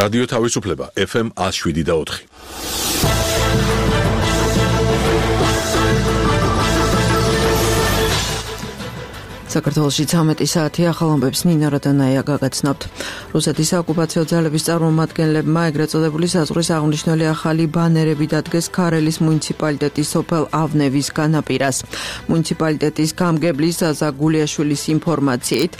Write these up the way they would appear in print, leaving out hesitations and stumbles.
რადიო თავისუფლება FM 107.4. საქართველოში 13 საათი ახალ ამბებს ნინა როდანაია გაგაცნობთ. რუსეთის ოკუპაციო ძალების წარმომადგენლებმა ეგრეთ წოდებული საზღვრის აღნიშნული ახალი ბანერები დადგეს ქარელის მუნიციპალიტეტის სოფელ ავნევის განაპირას. მუნიციპალიტეტის გამგებლის ზაზა გულიაშვილის ინფორმაციით,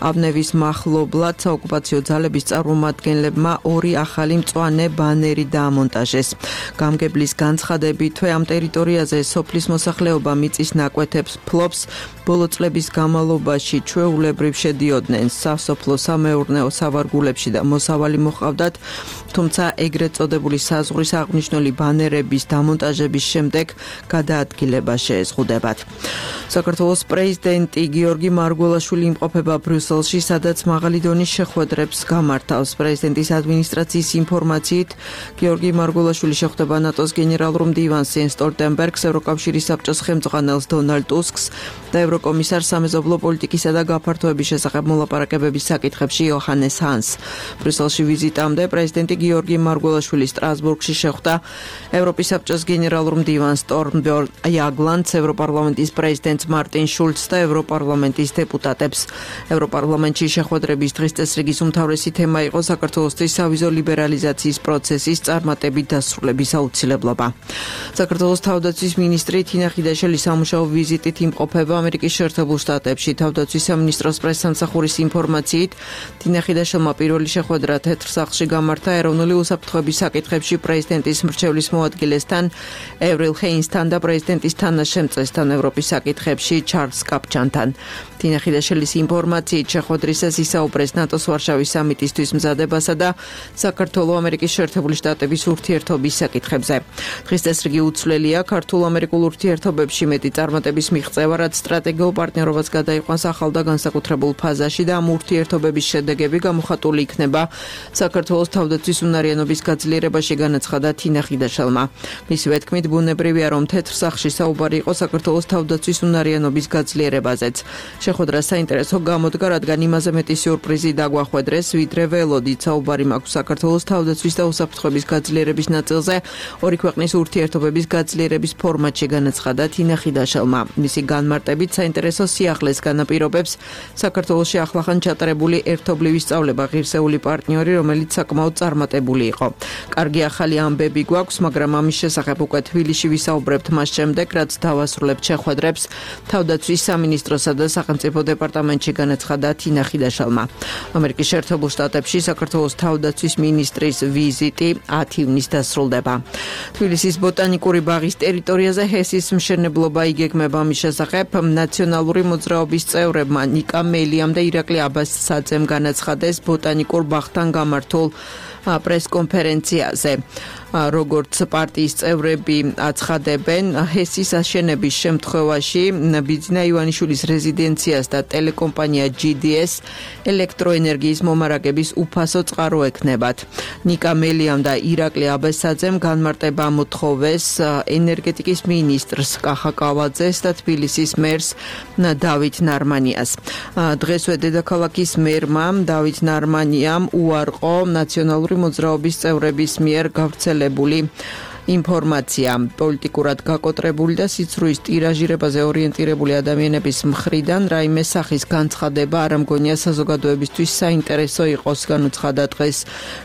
ავნევის მახლობლად ოკუპაციო ძალების წარმომადგენლებმა 2 ახალი მწვანე ბანერი დაამონტაჟეს. გამგებლის განცხადებითვე ამ ტერიტორიაზე სოფლის მოსახლეობა მიწის ნაკვეთებს ფლობს, ბოლო წლების განმავლობაში ჩვეულებრივ შედიოდნენ სასოფლო სამეურნეო სავარგულებში და მოსავალი მოჰყავდათ, თუმცა ეგრეთ წოდებული საზღვრის აღნიშნული ბანერების დამონტაჟების შემდეგ გადაადგილება შეეზღუდებათ. საქართველოს პრეზიდენტი გიორგი მარგველაშვილი იმყოფება ბრიუსელში, სადაც მაღალი დონის შეხვედრებს გამართავს. პრეზიდენტის ადმინისტრაციის ინფორმაციით, გიორგი მარგველაშვილი შეხვდება ნატოს გენერალურ მდივანს იენს სტოლტენბერგს, ევროკავშირის საბჭოს ხელმძღვანელს დონალდ ტუსკს და ევროკომისარს სამეზობლო პოლიტიკისა და გაფართოების შესახებ მოლაპარაკებების საკითხებში იოჰანეს ჰანს. ბრიუსელში ვიზიტამდე პრეზიდენტი გიორგი მარგველაშვილი სტრასბურგში შეხვდა ევროპის საბჭოს გენერალურ მდივანს სტორმბერნ იაგლანდს, ევროპარლამენტის პრეზიდენტს მარტინ შულცს და ევროპარლამენტის დეპუტატებს. ევროპარლამენტში შეხვედრების დღის წესრიგის უმთავრესი თემა იყო საქართველოსთვის სავიზო ლიბერალიზაციის პროცესის წარმატებით დასრულების აუცილებლობა. საქართველოს თავდაცვის მინისტრი თინა ხიდაშელი სამუშაო ვიზიტით იმყოფება ამერიკის შეერთებულ შტატებში. თავდაცვის სამინისტროს პრესსამსახურის ინფორმაციით, თინა ხიდაშელმა პირველი შეხვედრა თეთრ სახლში გამართა ეროვნული უსაფრთხოების საკითხებში პრეზიდენტის მრჩევლის მოადგილესთან ევრილ ჰეინსთან და პრეზიდენტის თანაშემწესთან ევროპის საკითხებში ჩარლზ კაპჩანთან. თინა ხიდაშელის ინფორმაციით, შეხვედრისას ისაუბრეს ნატოს ვარშავის სამიტისთვის მზადებასა და საქართველო-ამერიკის შეერთებული შტატების ურთიერთობის საკითხებზე. დღის წესრიგი უცვლელია ქართულ-ამერიკულ ურთიერთობებში მეტი წარმატების მიღწევა, რაც სტრატეგიულ პარტნიორობას გადაიყვანს ახალ და განსაკუთრებულ ფაზაში და ამ ურთიერთობების შედეგები გამოხატული იქნება საქართველოს თავდაცვის უნარიანობის გაძლიერებაში, განაცხადა თინა ხიდაშელმა. მისივე თქმით, ბუნებრივია, რომ თეთრ სახლში საუბარი იყო საქართველოს თავდაცვის უნარიანობის გაძლიერებაზეც. შეხვედრა საინტერესო გამოდგა, რადგან იმაზე მეტი სიურპრიზი დაგვახვედრეს, ვიდრე ველოდით. საუბარი მაქვს საქართველოს თავდაცვის და უსაფრთხოების გაძლიერების ნაწილზე, ორი ქვეყნის ურთიერთობების გაძლიერების ფორმატში, განაცხადა თინა ხიდაშელმა. მისი განმარტებით საინტერესო სიახლეს განაპირობებს საქართველოში ახლახან ჩატარებული ერთობლივი სწავლება, ღირსეული პარტნიორი, რომელიც საკმაოდ წარმატებული იყო. კარგი ახალი ამბები გვაქვს, მაგრამ ამის შესახებ უკვე თბილისში ვისაუბრებთ მას შემდეგ, რაც დავასრულებთ შეხვედრებს თავდაცვის სამინისტროსა და სახელმწიფო დეპარტამენტში, განაცხადა თინა ხიდაშელმა. ამერიკის შეერთებულ შტატებში საქართველოს თავდაცვის მინისტრის ვიზიტი 10 ივნისს დასრულდება. თბილისის ბოტანიკური ბაღის ტერიტორიაზე ჰესის მშენებლობა იგეგმება. ამის შესახებ ნაციონალური მოძრაობის წევრებმა ნიკა მელიამ და ირაკლი აბასაძემ განაცხადეს ბოტანიკურ ბაღთან გამართულ პრესკონფერენციაზე. როგორც პარტიის წევრები აცხადებენ, ჰესის აშენების შემთხვევაში ბიძინა ივანიშვილის რეზიდენციას და ტელეკომპანია GDS ელექტროენერგიის მომარაგების უფასო წყარო ექნებათ. ნიკა მელიამ და ირაკლი აბასაძემ განმარტება მოთხოვეს ენერგეტიკის მინისტრს კახა კავაძეს და თბილისის მერს დავით ნარმანიას. დღესვე დედაქალაქის მერმა დავით ნარმანიამ უარყო ნაციონალური მოძრაობის წევრების მიერ გავრცელებული ინფორმაცია. პოლიტიკურად გაკოტრებული და სიცრუის ტირაჟირებაზე ორიენტირებული ადამიანების მხრიდან რაიმე სახის განცხადება არ ამგონია საზოგადოებისთვის საინტერესო იყოს, განუცხადა დღეს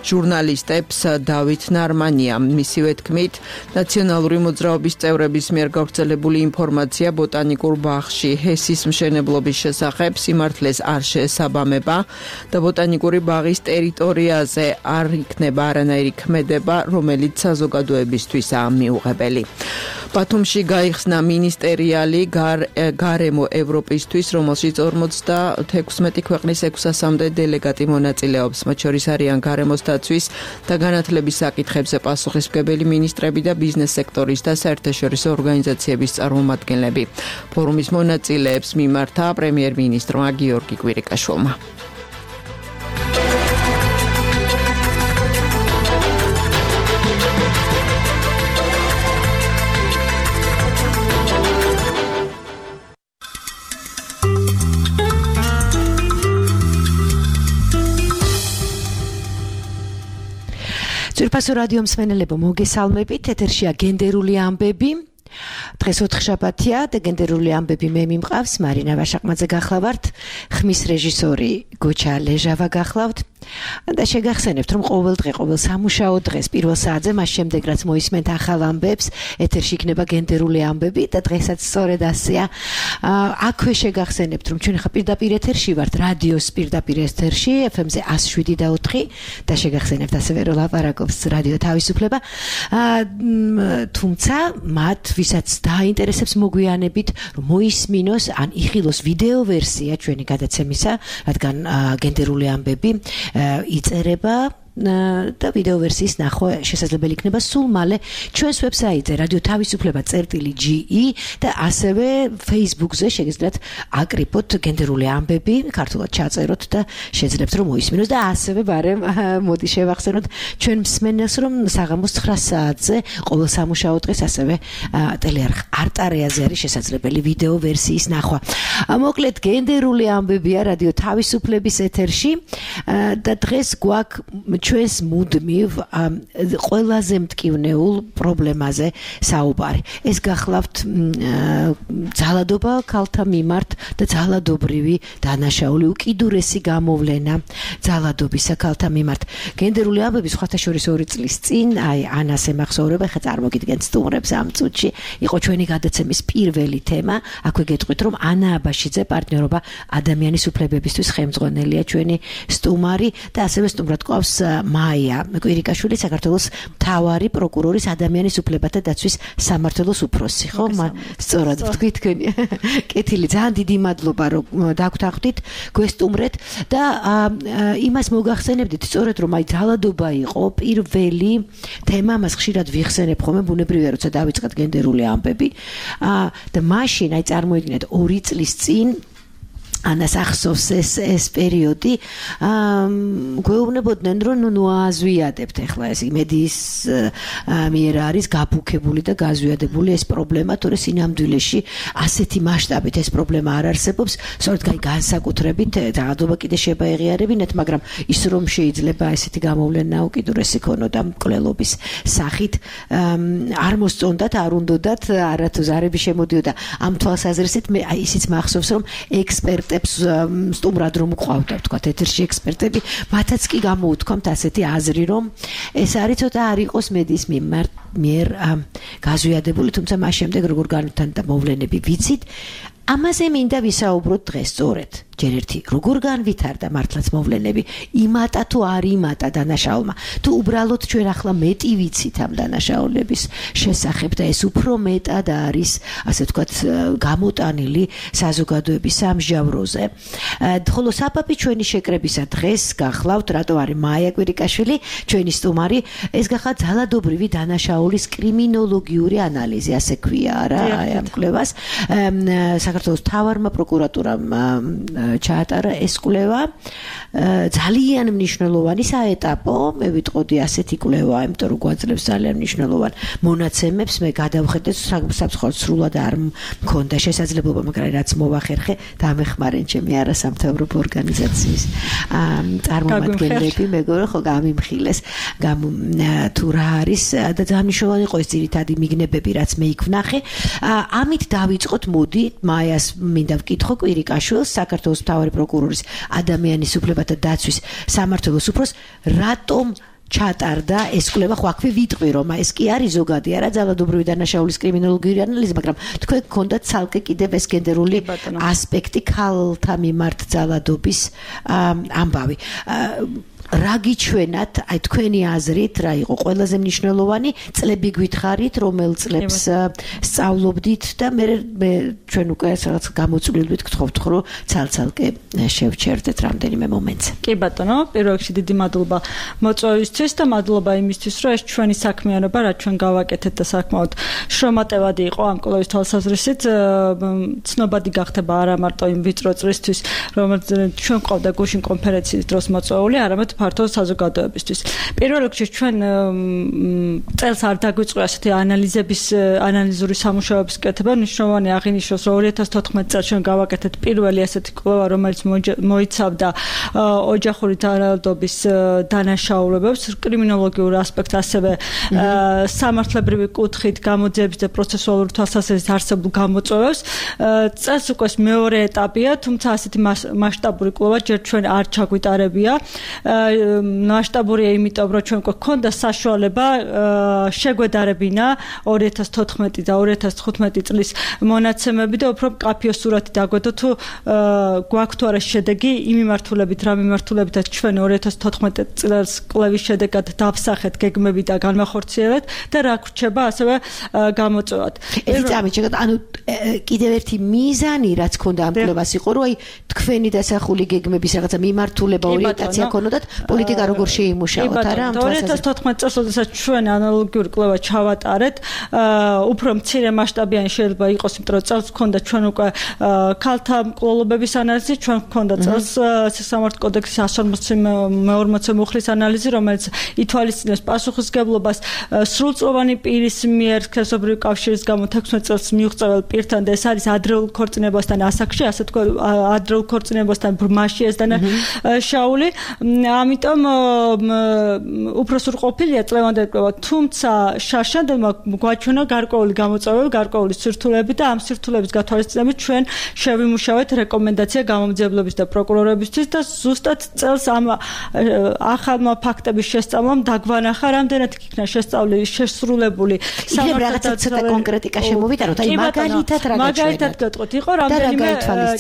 ჟურნალისტებს დავით ნარმანია. მისივე თქმით, ნაციონალური მოძრაობის წევრების მიერ გავრცელებული ინფორმაცია ბოტანიკურ ბაღში ჰესის მშენებლობის შესახებ სიმართლეს არ შეესაბამება და ბოტანიკური ბაღის ტერიტორიაზე არ იქნება არანაირი ქმედება, რომელიც საზოგადოებისთვის მიუღებელი. ბათუმში გაიხსნა მინისტერიალი გარემო ევროპისთვის, რომელშიც 56 ქვეყნის 600-მდე დელეგატი მონაწილეობს. მათ შორის არიან გარემოს დაცვის და განათლების საკითხებზე პასუხისმგებელი მინისტრები და ბიზნეს სექტორის და საერთაშორისო ორგანიზაციების წარმომადგენლები. ფორუმის მონაწილეებს მიმართა პრემიერ-მინისტრმა გიორგი კვირიკაშვილმა. საყფასო რადიო მსმენელებო, მოგესალმებით. ეთერშია გენდერული ამბები. დღეს ოთხშაბათია და გენდერული ამბები მე მიმყავს მარინა ვაშაყმაძე გახლავართ, ხმის რეჟისორი გოჩა ლეჟავა გახლავთ და შეგახსენებთ რომ ყოველ დღე, ყოველ სამუშაო დღეს პირველ საათზე, მას შემდეგ რაც მოისმენთ ახალ ამბებს, ეთერში იქნება გენდერული ამბები და დღესაც სწორედ ასეა. აქვე შეგახსენებთ რომ ჩვენ ხა პირდაპირ ეთერში ვართ, რადიოს პირდაპირ ეთერში FM-ზე 107.4 და შეგახსენებთ ასევე რომ ლაპარაკობს რადიო თავისუფლება. თუმცა მათ ვისაც დაინტერესებს მოგვიანებით რომ მოისმინოს ან იხილოს ვიდეო ვერსია ჩვენი გადაცემისა, რადგან გენდერული ამბები იწერება და ვიდეო ვერსიის ნახვა შესაძლებელი იქნება სულ მალე ჩვენს ვებსაიტზე radio-თავისუფლება.ge და ასევე Facebook-ზე შეგიძლიათ აკრიფოთ გენდერული ამბები, ქართულად ჩაწეროთ და შეძლებთ რომ მოისმინოს და ასევე ბარემ მოდი შევახსენოთ ჩვენ მსმენელს რომ საღამოს 9 საათზე ყოველ სამუშაო დღეს ასევე ტელეარხ არტარეაზე არის შესაძლებელი ვიდეო ვერსიის ნახვა. მოკლედ გენდერული ამბებია რადიო თავისუფლების ეთერში და დღეს გვაქვს ჩვენს მუდმივ ყველაზე მტკივნეულ პრობლემაზე საუბარი. ეს გახლავთ ძალადობა ქალთა მიმართ და ძალადობრივი დანაშაული, უკიდურესი გამოვლენა ძალადობისა ქალთა მიმართ. გენდერული ამბები სხვათა შორის 2 წლის წინ, ანას ემახსოვრება, ხა წარმოგიდგენთ სტუმრებს ამ წუთში, იყო ჩვენი გადაცემის პირველი თემა. აქვე გეტყვით რომ ანა აბაშიძე, პარტნიორობა ადამიანის უფლებებისთვის ხელმძღვანელია ჩვენი სტუმარი და ასევე სტუმრად ყავს მაია კვირიკაშვილი, საქართველოს მთავარი პროკურორის ადამიანის უფლებათა დაცვის სამმართველოს უფროსი, ხო? სწორად ვთქვი თქვენი. კეთილი, ძალიან დიდი მადლობა რომ დაგვთანხმდით, გვესტუმრეთ და იმას მოგახსენებდით, სწორედ რომ ძალადობა იყო პირველი თემა, მას ხშირად ვიხსენებ ხოლმე, ბუნებრივია როცა დავიწყეთ გენდერული ამბები და მაშინ წარმოიდგინეთ 2 წლის წინ ანას ახსოვს ეს პერიოდი, გვეუბნებოდნენ რომ ნუ აზვიადებთ ახლა ეს მედიის მიერ არის გაბუქებული და გაზვიადებული ეს პრობლემა, თორე სინამდვილეში ასეთი მასშტაბით ეს პრობლემა არ არსებობს, სწორედ განსაკუთრებით ძალადობა კიდე შეეღიარებინათ, მაგრამ ის რომ შეიძლება ესეთი გამოვლენა უკიდურესი ქონოდა მკვლელობის სახით, არ მოსწონდათ, არ უნდათ, არათუ ზარები შემოდიოდა. ამ თვალსაზრისით მე ისიც მახსოვს რომ ექსპერტები სტუმრად რომ ყავდა, თქვა ეთერში ექსპერტები, მათაც კი გამოუთქვამთ ასეთი აზრი, რომ ეს არის ცოტა არ იყოს მედიის მიერ გაზვიადებული, თუმცა მას შემდეგ როგორ განვითარდა მოვლენები ვიცით. ამაზე მინდა ვისაუბროთ დღეს სწორედ. ჯერ ერთი, როგორ განვითარდა მართლაც მოვლენები, იმატა თუ არ იმატა დანაშაულმა, თუ უბრალოდ ჩვენ ახლა მეტი ვიცით ამ დანაშაულების შესახებ და ეს უფრო მეტად არის, ასე ვთქვათ, გამოტანილი საზოგადოების სამსჯავროზე. ხოლო საბაბი ჩვენი შეკრებისა დღეს გახლავთ, რატო არის მაია კვირიკაშვილი, ჩვენი სტუმარი, ეს გახდა ძალადობრივი დანაშაულის კრიმინოლოგიური ანალიზი, ასე ქვია რა ამ კვლევას. საქართველოს მთავარმა პროკურატურამ ჩაატარა ეს კვლევა, ძალიან მნიშვნელოვანი საეტაპო, მე ვიტყოდი ასეთი კვლევა, იმიტომ რომ გვაძლევს ძალიან მნიშვნელოვან მონაცემებს, მე გადავხედე საფრთხოდ სრულად არ მქონდა შესაძლებლობა, მაგრამ რაც მოვახერხე, დამეხმარენ ჩემი არასამთავრობო ორგანიზაციის წარმომადგენლები, მეგობრებო, ხო გამიმხილეს, თუ რა არის და ძალიან მნიშვნელოვანი იყო ეს ძირითადი მიგნებები, რაც მე იქ ვნახე. ამით დავიწყოთ, მოდი მაიას მინდა ვკითხო კვირიკაშვილს, საქართველოს მთავარი პროკურორის ადამიანის უფლებათა დაცვის სამმართველოს უფროს, რატომ ჩატარდა ეს კვლევა, ხო აქვე ვიტყვი რომ ეს კი არის ზოგადი არა ძალადობრივი დანაშაულის კრიმინოლოგიური ანალიზი, მაგრამ თქვენ გქონდათ ცალკე კიდევ ეს გენდერული ასპექტი ქალთა მიმართ ძალადობის ამბავი. რა გიჩვენათ, აი თქვენი აზრით, რა იყო ყველაზე მნიშვნელოვანი, წლები გვითხრით, რომელ წლებს სწავლობდით და მე ჩვენ უკვე რაღაც გამოწვლილვით გთხოვთ, რომ ცალ-ცალკე შევჩერდეთ რამდენიმე მომენტს. კი ბატონო, პირველ რიგში დიდი მადლობა მოწვევისთვის და მადლობა იმისთვის, რომ ეს ჩვენი საქმიანობა, რაც ჩვენ გავაკეთეთ და საკმაოდ შრომატევადი იყო ამ კვლევის თვალსაზრისით, ცნობადი გახდება არა მარტო იმ ვიწრო წრისთვის, რომელიც ჩვენ ყავდა გუშინ კონფერენციის დროს მოწვეული, არამედ ფართო საზოგადოებისთვის. პირველ რიგში ჩვენ წელს არ დაგვიწყო ასეთი ანალიზური სამუშაოების კეთება. მნიშვნელოვანი აღინიშნოს, რომ 2014 წელს ჩვენ გავაკეთეთ პირველი ასეთი კვლევა, რომელიც მოიცავდა ოჯახური თანადობის დანაშაულებებს, კრიმინოლოგიურ ასპექტს, ასევე სამართლებრივი კუთხით გამოძიების და პროცესუალური თვალსაზრისით არსებულ გამოწვევებს. წელს უკვე მეორე ეტაპია, თუმცა ასეთი მასშტაბური კვლევა ჯერ ჩვენ არ ჩაგვიტარებია. მასშტაბურია იმიტომ, რომ ჩვენ გვქონდა საშუალება შეგვედარებინა 2014 და 2015 წლის მონაცემები და უფრო მკაფიო სურათი დაგვედო თუ გვაქვს თუ არა შედეგი იმ მიმართულებით, რა მიმართულებითაც ჩვენ 2014 წელს კვლევის შედეგად დავსახეთ გეგმები და განმახორციელებთ და რა გვრჩება ასევე გამოწვევად. ანუ კიდევ ერთი მიზანი რაც ქონდა ამ კვლევას იყო, რომ აი თქვენი დასახული გეგმების რაღაცა მიმართულება, ორიენტაცია ქონოდათ, პოლიტიკა როგორ შეიმუშავოთ, არა? 2014 წელს, როდესაც ჩვენ ანალოგიური კვლევა ჩავატარეთ, უფრო მცირე მასშტაბიანი შეიძლება იყოს, იმიტომ რომ წელს ქონდა ჩვენ უკვე ქალთა მკვლელობების ანალიზი, ჩვენ ქონდა წელს სასამართლო კოდექსის 140 მუხლის ანალიზი, რომელიც ითვალისწინებს პასუხისმგებლობას სრულწლოვანი პირის მიერ სქესობრივი კავშირის გამო 16 წელს მიუღწეվել პირთან და ეს არის ადრეულ ქორწინებასთან ასაკში, ასე თქვა, ადრეულ ქორწინებასთან ბრმაში ეს დანაშაული. ამიტომ უფრო სრულყოფილია წლევანდელი კვლევა, თუმცა შაშანდელმა გვაჩვენა გარკვეული გამოწვევები, გარკვეული სირთულეები და ამ სირთულეების გათვალისწინებით ჩვენ შევიმუშავეთ რეკომენდაცია გამომძიებლების და პროკურორებისთვის და ზუსტად წელს ამ ახალმა ფაქტების შესწავლამ დაგვანახა, რამდენად იქნა შესრულებული სამართალდამცავი კონკრეტიკა შემოვიტანოთ, აი მაგალითად რა მაგალითად გეტყვით, იყო რამდენიმე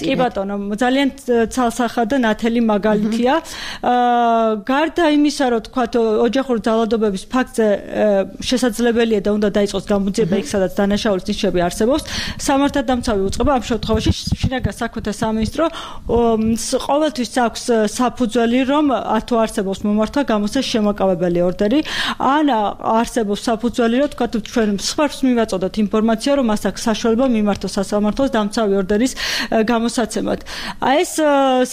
კი ბატონო, ძალიან ცალსახა და ნათელი მაგალითია. გარდა იმისა, რომ თქვათ ოჯახური ძალადობების ფაქტზე შესაძლებელია და უნდა დაიწყოს გამოძიება იქ, სადაც დანაშაულის ნიშნები არსებობს, სამართალდამცავი უწყება ამ შემთხვევაში შინაგან საქმეთა სამინისტრო ყოველთვის აქვს საფუძველი, რომ თუ არსებობს მომართვა, გამოსცეს შემაკავებელი ორდერი, ან არსებობს საფუძველი, რომ თქვათ ჩვენ სხვას მივაწოდოთ ინფორმაცია, რომ მას აქვს საშუალება მიმართოს სასამართლოს დამცავი ორდერის გამოსაცემად. ეს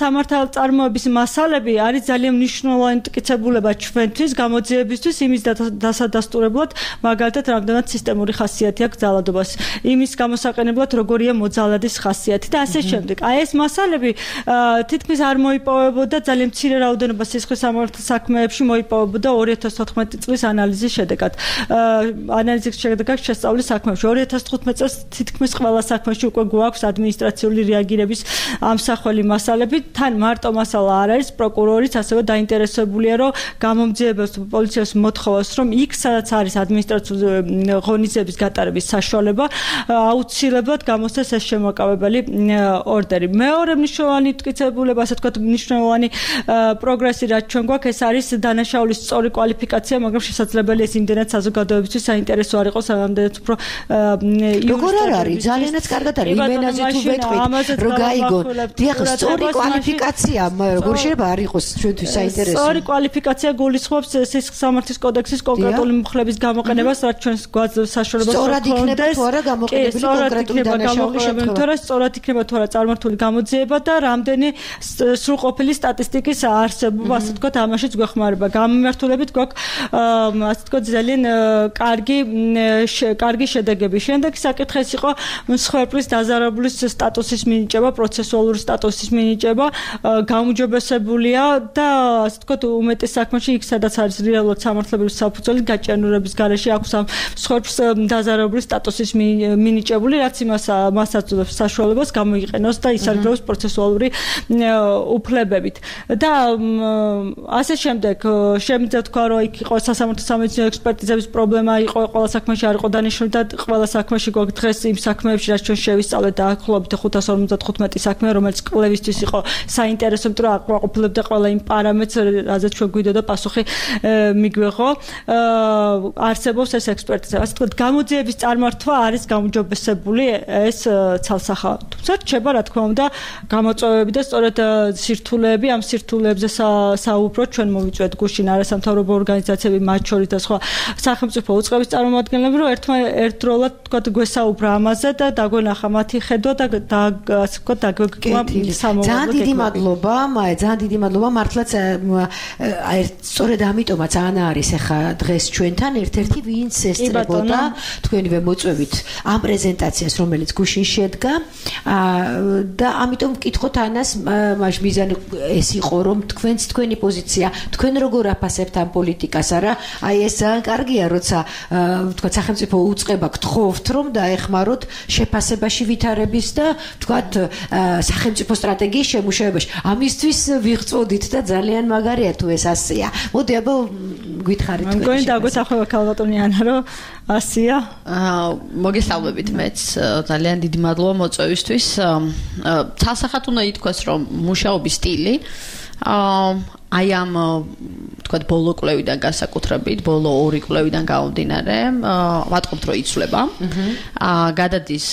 სამართალწარმოების მასალები არის ძალიან მნიშვნელოვანი მტკიცებულება ჩვენთვის, გამოძიებისთვის, იმის დასადასტურებლად, მაგალითად, რამდენად სისტემური ხასიათი აქვს ძალადობას, იმის გამოსაყენებლად, როგორია მოძალადის ხასიათი და ასე შემდეგ. ეს მასალები თითქმის არ მოიპოვებოდა ძალიან მცირე რაოდენობა სისხლის სამართლის საქმეებში მოიპოვებოდა 2014 წლის ანალიზის შედეგად. ანალიზის შედეგად შესწავლის საქმეებში 2015 წელს თითქმის ყველა საქმეში უკვე გვაქვს ადმინისტრაციული რეაგირების ამსახველი მასალები, თან მარტო მასალა არ არის, პროკურორიც ასევე დაინტერესებულია, რომ გამომძიებელს პოლიციას მოთხოვოს, რომ იქ სადაც არის ადმინისტრაციული ღონისძიების გატარების საშუალება, აუცილებლად გამოსცეს ეს შემოკავებელი ორდერი. მეორე მნიშვნელოვანი მტკიცებულება, ასე ვთქვათ, მნიშვნელოვანი პროგრესი, რაც ჩვენ გვაქვს, ეს არის დანაშაულის სწორი კვალიფიკაცია, მაგრამ შესაძლებელია ეს იმდენად საზოგადოებისთვის საინტერესო არ იყოს, ამდენად უფრო როგორ არ არის? ძალიანაც კარგად არის. იმენაზე თუ ვეტყვით, რომ გაიგონ. დიახ, სწორი კვალიფიკაცია, როგორ შეიძლება არ იყოს ჩვენთვის საინტერესო? სწორი კვალიფიკაცია გულისხმობს სისხლის სამართლის კოდექსის კონკრეტული მუხლების გამოყენებას, რაც ჩვენს გვაძლევს საშუალებას სწორად იქნება თუ არა გამოყენებული კონკრეტული დანაშაულის შემთხვევაში. თორე სწორად იქნება თუ არა წარმართული გამოძიება და რამდენი სრულყოფილი სტატისტიკის არსებობა, ასე ვთქვათ, ამაშიც გვეხმარება. გამიმართულებით გვაქვს, ასე ვთქვათ, ძალიან კარგი შედეგები. შემდეგ საკითხი იყო მსხვერპლის დაზარალების სტატუსის მინიჭება, პროცესუალური სტატუსის მინიჭება, გაუმჯობესებულია და ასე ვთქვათ, უმეტეს საქმეში იქ სადაც არის რეალურად სამართლებრივი საფუძველი გაჭიანურების გარეშე აქვს ამ მსხვერპლს დაზარალების სტატუსის მინიჭებული, რაც მას აძლევს საშუალებას გამოიყენოს და ისარგებლოს პროცესუალური უფლებებით. და ასე შემდეგ შემიძლია თქვა, რომ იქ იყო სასამართლო სამედიცინო ექსპერტიზების პრობლემა, იყო ყველა საქმეში არ იყო დანიშნული და ყველა საქმეში გვაქვს დღეს იმ საქმეებში, რაც ჩვენ შევისწავლეთ და ახლობით 555 საქმე, რომელიც კვლევისთვის იყო საინტერესო, იმიტომ რომ აკმაყოფილებდა ყველა იმ პარამეტრს, რაზეც ჩვენ გვიდოდა პასუხი მიგვეღო. არსებობს ეს ექსპერტიზა. ასე ვთქვათ, გამოძიების წარმართვა არის გაუმჯობესებული ეს ცალსახა. თუმცა რჩება, რა თქმა უნდა, გამოწვევები და სწორედ სირთულეები, ამ სირთულეებზე საუბრობ ჩვენ მოვიწვევთ გუშინ არასამთავრობო ორგანიზაციები, მათ შორის და სხვა სახელმწიფო უწყების წარმომადგენლები, რომ ერთდროულად ვთქვათ, გვესაუბრა ამაზე და დაგვენახა მათი ხედვა და ასე ვთქვათ, დაგვეკვა ძალიან დიდი მადლობა, ძალიან დიდი მადლობა. მართლაც სწორედ ამიტომაც ანა არის ახლა დღეს ჩვენთან ერთ-ერთი ვინც ესწრებოდა თქვენივე მოწვევით ამ პრეზენტაციას რომელიც გუშინ შედგა და ამიტომ ვკითხოთ ანას მაშ მიზანი ეს იყო რომ თქვენი პოზიცია თქვენ როგორ აფასებთ ამ პოლიტიკას არა აი ეს ძალიან კარგია როცა თქვა სახელმწიფო უწყება გთხოვთ რომ დაეხმაროთ შეფასებაში ვითარების და თქვა სახელმწიფო სტრატეგიის შემუშავებაში ამისთვის ვიღწოდით და ძალიან მაგარია თუ ეს ასია მოდი აბა გითხარით თქვენ მგონი დაგვეთახმება ქალბატონი ანა რომ ასია მოგესალმებით მეც ძალიან დიდი მადლობა მოწვევისთვის ცალსახად უნდა ითქვას რომ მუშაობის სტილი აი ამ თქვა ბოლო კვლევიდან განსაკუთრებით ბოლო 2 კვლევიდან გამომდინარე ვატყობთ რომ იცვლება გადადის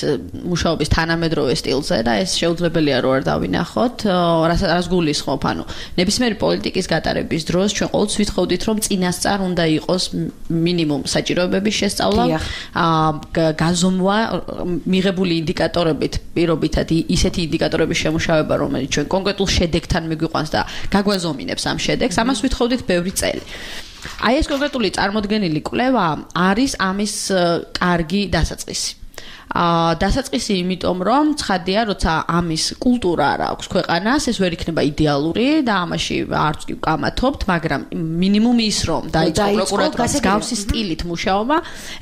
მუშაობის თანამედროვე სტილზე და ეს შეუძლებელია რომ არ დავინახოთ რას გულისხმობ ანუ ნებისმიერი პოლიტიკის გატარების დროს ჩვენ ყოველთვის ვითხოვდით რომ წინასწარ უნდა იყოს მინიმუმ საჭიროებების შესწავლა გაზომვა მიღებული ინდიკატორებით პირობითად ისეთი ინდიკატორების შემუშავება რომელიც ჩვენ კონკრეტულ შედეგთან მიგვიყვანს და გაგვაზომინებს ამ შედეგს ამას ვითხოვდით ბევრი წელი. აი ეს კონკრეტული წარმოდგენილი კვლევა არის ამის კარგი დასაწყისი. დასაწყისი იმიტომ რომ ცხადია როცა ამის კულტურა არ აქვს ქვეყანას ეს ვერ იქნება იდეალური და ამაში არც კი ვკამათობთ მაგრამ მინიმუმ ის რომ დაიწყო პროკურატურას გავსი სტილით მუშაობა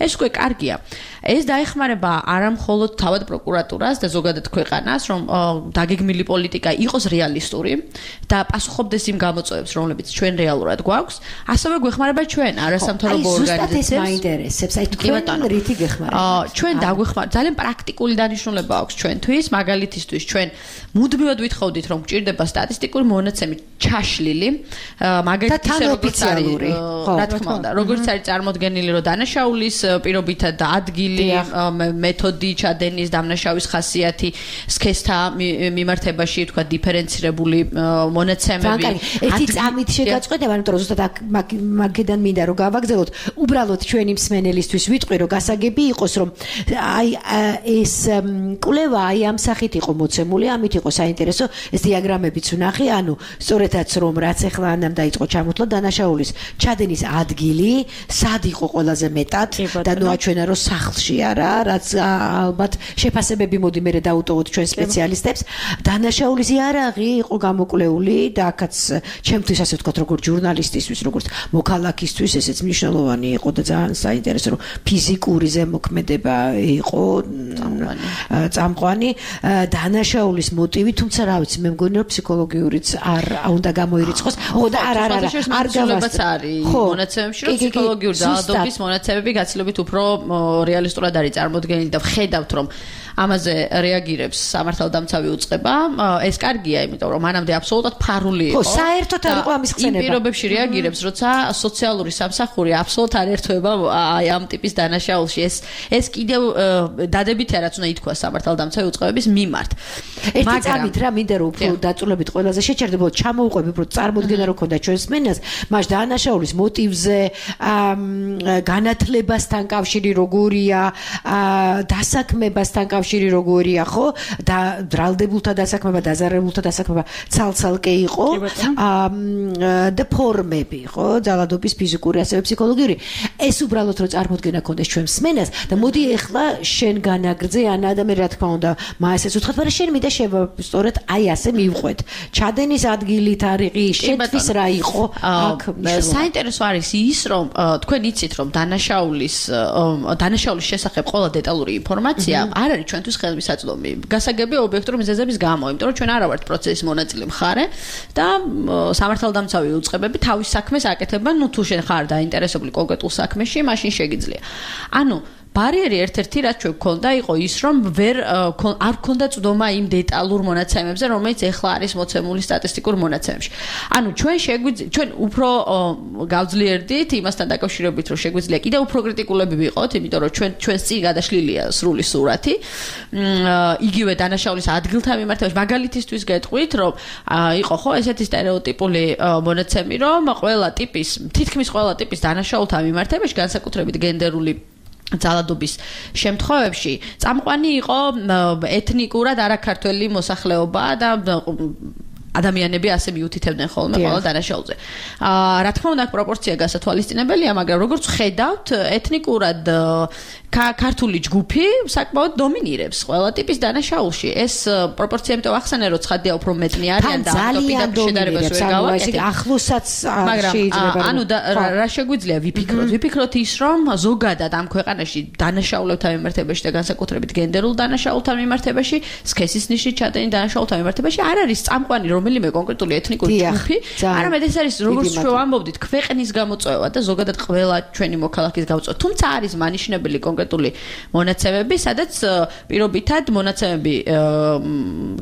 ეს უკვე კარგია ეს დაეხმარება არა მხოლოდ თავად პროკურატურას და ზოგადად ქვეყანას რომ დაგეგმილი პოლიტიკა იყოს რეალისტური და პასუხობდეს იმ გამოწვევებს რომლებიც ჩვენ რეალურად გვაქვს ასევე გვეხმარება ჩვენ არასამთავრობო ორგანიზაციებს ზუსტად ეს მაინტერესებს აი თქვენ რითი გეხმარება ჩვენ დაგვეხმარება ძალიან პრაქტიკული დანიშნულება აქვს ჩვენთვის მაგალითისთვის ჩვენ მუდმივად ვითხოვდით რომ გვჭირდება სტატისტიკური მონაცემი ჩაშლილი მაგალითად როგორც არის რა თქმა უნდა როგორც არის წარმოდგენილი რომ დანაშაულის პირობითა და ადგილი მეთოდი ჩადენის დამნაშავის ხასიათი სქესთა მიმართებაში თქვა დიფერენცირებული მონაცემები ერთი წამით შეგაწყვეტება იმიტომ რომ ზუსტად მაგედან მინდა რომ გავაგზავნოთ უბრალოდ ჩვენი მსმენელისთვის ვიტყვი რომ გასაგები იყოს რომ აი ეს კვლევა აი ამ სახით იყო მოცემული ამით იყო საინტერესო ეს დიაგრამებიც ვნახე ანუ სწორედაც რომ რაც ახლა ანამ დაიწყო ჩამოთვლა დანაშაულის ჩადენის ადგილი სად იყო ყველაზე მეტად და ნოაჩვენა რომ სახლში არა რაც ალბათ შეფასებები მოდი მე დაუტოვოთ ჩვენ სპეციალისტებს დანაშაულის იარაღი იყო გამოკვლეული და აქაც ჩემთვის ასე ვთქვათ როგორც ჟურნალისტისთვის როგორც მოქალაქისთვის ესეც მნიშვნელოვანი იყო და ძალიან საინტერესო რომ ფიზიკური ზემოქმედება იყო წამყვანი დანაშაულის მოტივი თუმცა რა ვიცი მე მგონი რომ ფსიქოლოგიურიც არ უნდა გამოირიცხოს და არ გავასწრებს მონაცემებში რომ ფსიქოლოგიური ძალადობის მონაცემები გაცილებით უფრო რეალისტურად არის წარმოდგენილი და ვხედავთ რომ ამაზე რეაგირებს სამართალდამცავი უწყება ეს კარგია იმიტომ რომ მანამდე აბსოლუტურად ფარული იყო საერთოდ არ იყო ამის ხსენება იმ პირობებში რეაგირებს როცა სოციალური სამსახური აბსოლუტურად არ ერთვება აი ამ ტიპის დანაშაულში ეს კიდევ დადებითია რაც უნდა ითქვას სამართალდამცავი უწყებების მიმართ ერთი წამით რა მინდა რომ უფრო დაწვრილებით ყველაზე შეჩერდება ჩამოუყვები უფრო წარმოდგენა რო ქონდა ჩვენს მენას მას დანაშაულის მოტივზე განათლებასთან კავშირი როგორია დასაქმებასთან კავშირი როგორია ხო და ბრალდებულთა დასაქმება დაზარებულთა დასაქმება ცალ-ცალკე იყო და ფორმები ხო ძალადობის ფიზიკური ასევე ფსიქოლოგიური ეს უბრალოდ რო წარმოდგენა ქონდეს ჩვენს მენას და მოდი ეხლა შენ განაგრძე ანა და მე რა თქმა უნდა მაესეც უთხრათ მაგრამ შენ მინდა სწორედ აი ასე მივყვეთ ჩადენის ადგილი თარიღი შენთვის რა იყო აქ საინტერესო არის ის რომ თქვენ იცით რომ დანაშაულის შესახებ ყველა დეტალური ინფორმაცია არ არის ჩვენთვის ხელმისაწვდომი გასაგები ობიექტური მიზეზების გამო იმიტომ რომ ჩვენ არა ვართ პროცესის მონაწილე მხარე და სამართალდამცავი უწყებები თავის საქმეს აკეთებენ ნუ თუ შენ ხარ დაინტერესებული კონკრეტულ საქმეში მაშინ შეგიძლია ანუ ბარიერი ერთ-ერთი რაც ჩვენ გქონდა იყო ის რომ არ გქონდა წვდომა იმ დეტალურ მონაცემებზე რომელიც ეხლა არის მოცემული სტატისტიკურ მონაცემებში ანუ ჩვენ უფრო გავძლიერდით იმასთან დაკავშირებით რომ შეგვიძლია კიდევ უფრო კრიტიკულები ვიყოთ იმიტომ რომ ჩვენს წინ გადაშლილია სრული სურათი იგივე დანაშაულის ადგილთან მიმართებაში მაგალითისთვის გეტყვით რომ იყო ხო ესეთი სტერეოტიპული მონაცემი რომ თითქმის ყველა ტიპის დანაშაულთან მიმართებაში განსაკუთრებით გენდერული ძალადობის შემთხვევებში წამყვანი იყო ეთნიკურად არაქართველი მოსახლეობა და ადამიანები ასე მიუთითებდნენ ხოლმე ყველა დანაშაულზე. რა თქმა უნდა, პროპორცია გასათვალისწინებელია, მაგრამ როგორც ხედავთ, ეთნიკურად ქართული ჯგუფი საკმაოდ დომინირებს ყველა ტიპის დანაშაულში. ეს პროპორცია იმიტომ ახსენე, რომ ცხადია უფრო მეტნი არიან და ძალიან დომინირებს, ანუ ეს ახლოსაც შეიძლება. ანუ რა შეგვიძლია ვიფიქროთ? ვიფიქროთ ის, რომ ზოგადად ამ ქვეყანაში დანაშაულებთან მიმართებაში და განსაკუთრებით გენდერულ დანაშაულთან მიმართებაში, სქესის ნიშნით ჩადენილ დანაშაულთან მიმართებაში არ არის წამყვანი რომელიმე კონკრეტული ეთნიკური ჯგუფი, არამედ ეს არის როგორც ჩვენ ვამბობდით, ქვეყნის გამოწვევა და ზოგადად ყველა ჩვენი მოქალაქის გამოწვევა. თუმცა არის მანიშნებელი კონკრეტული მონაცემები, სადაც პირობითად მონაცემები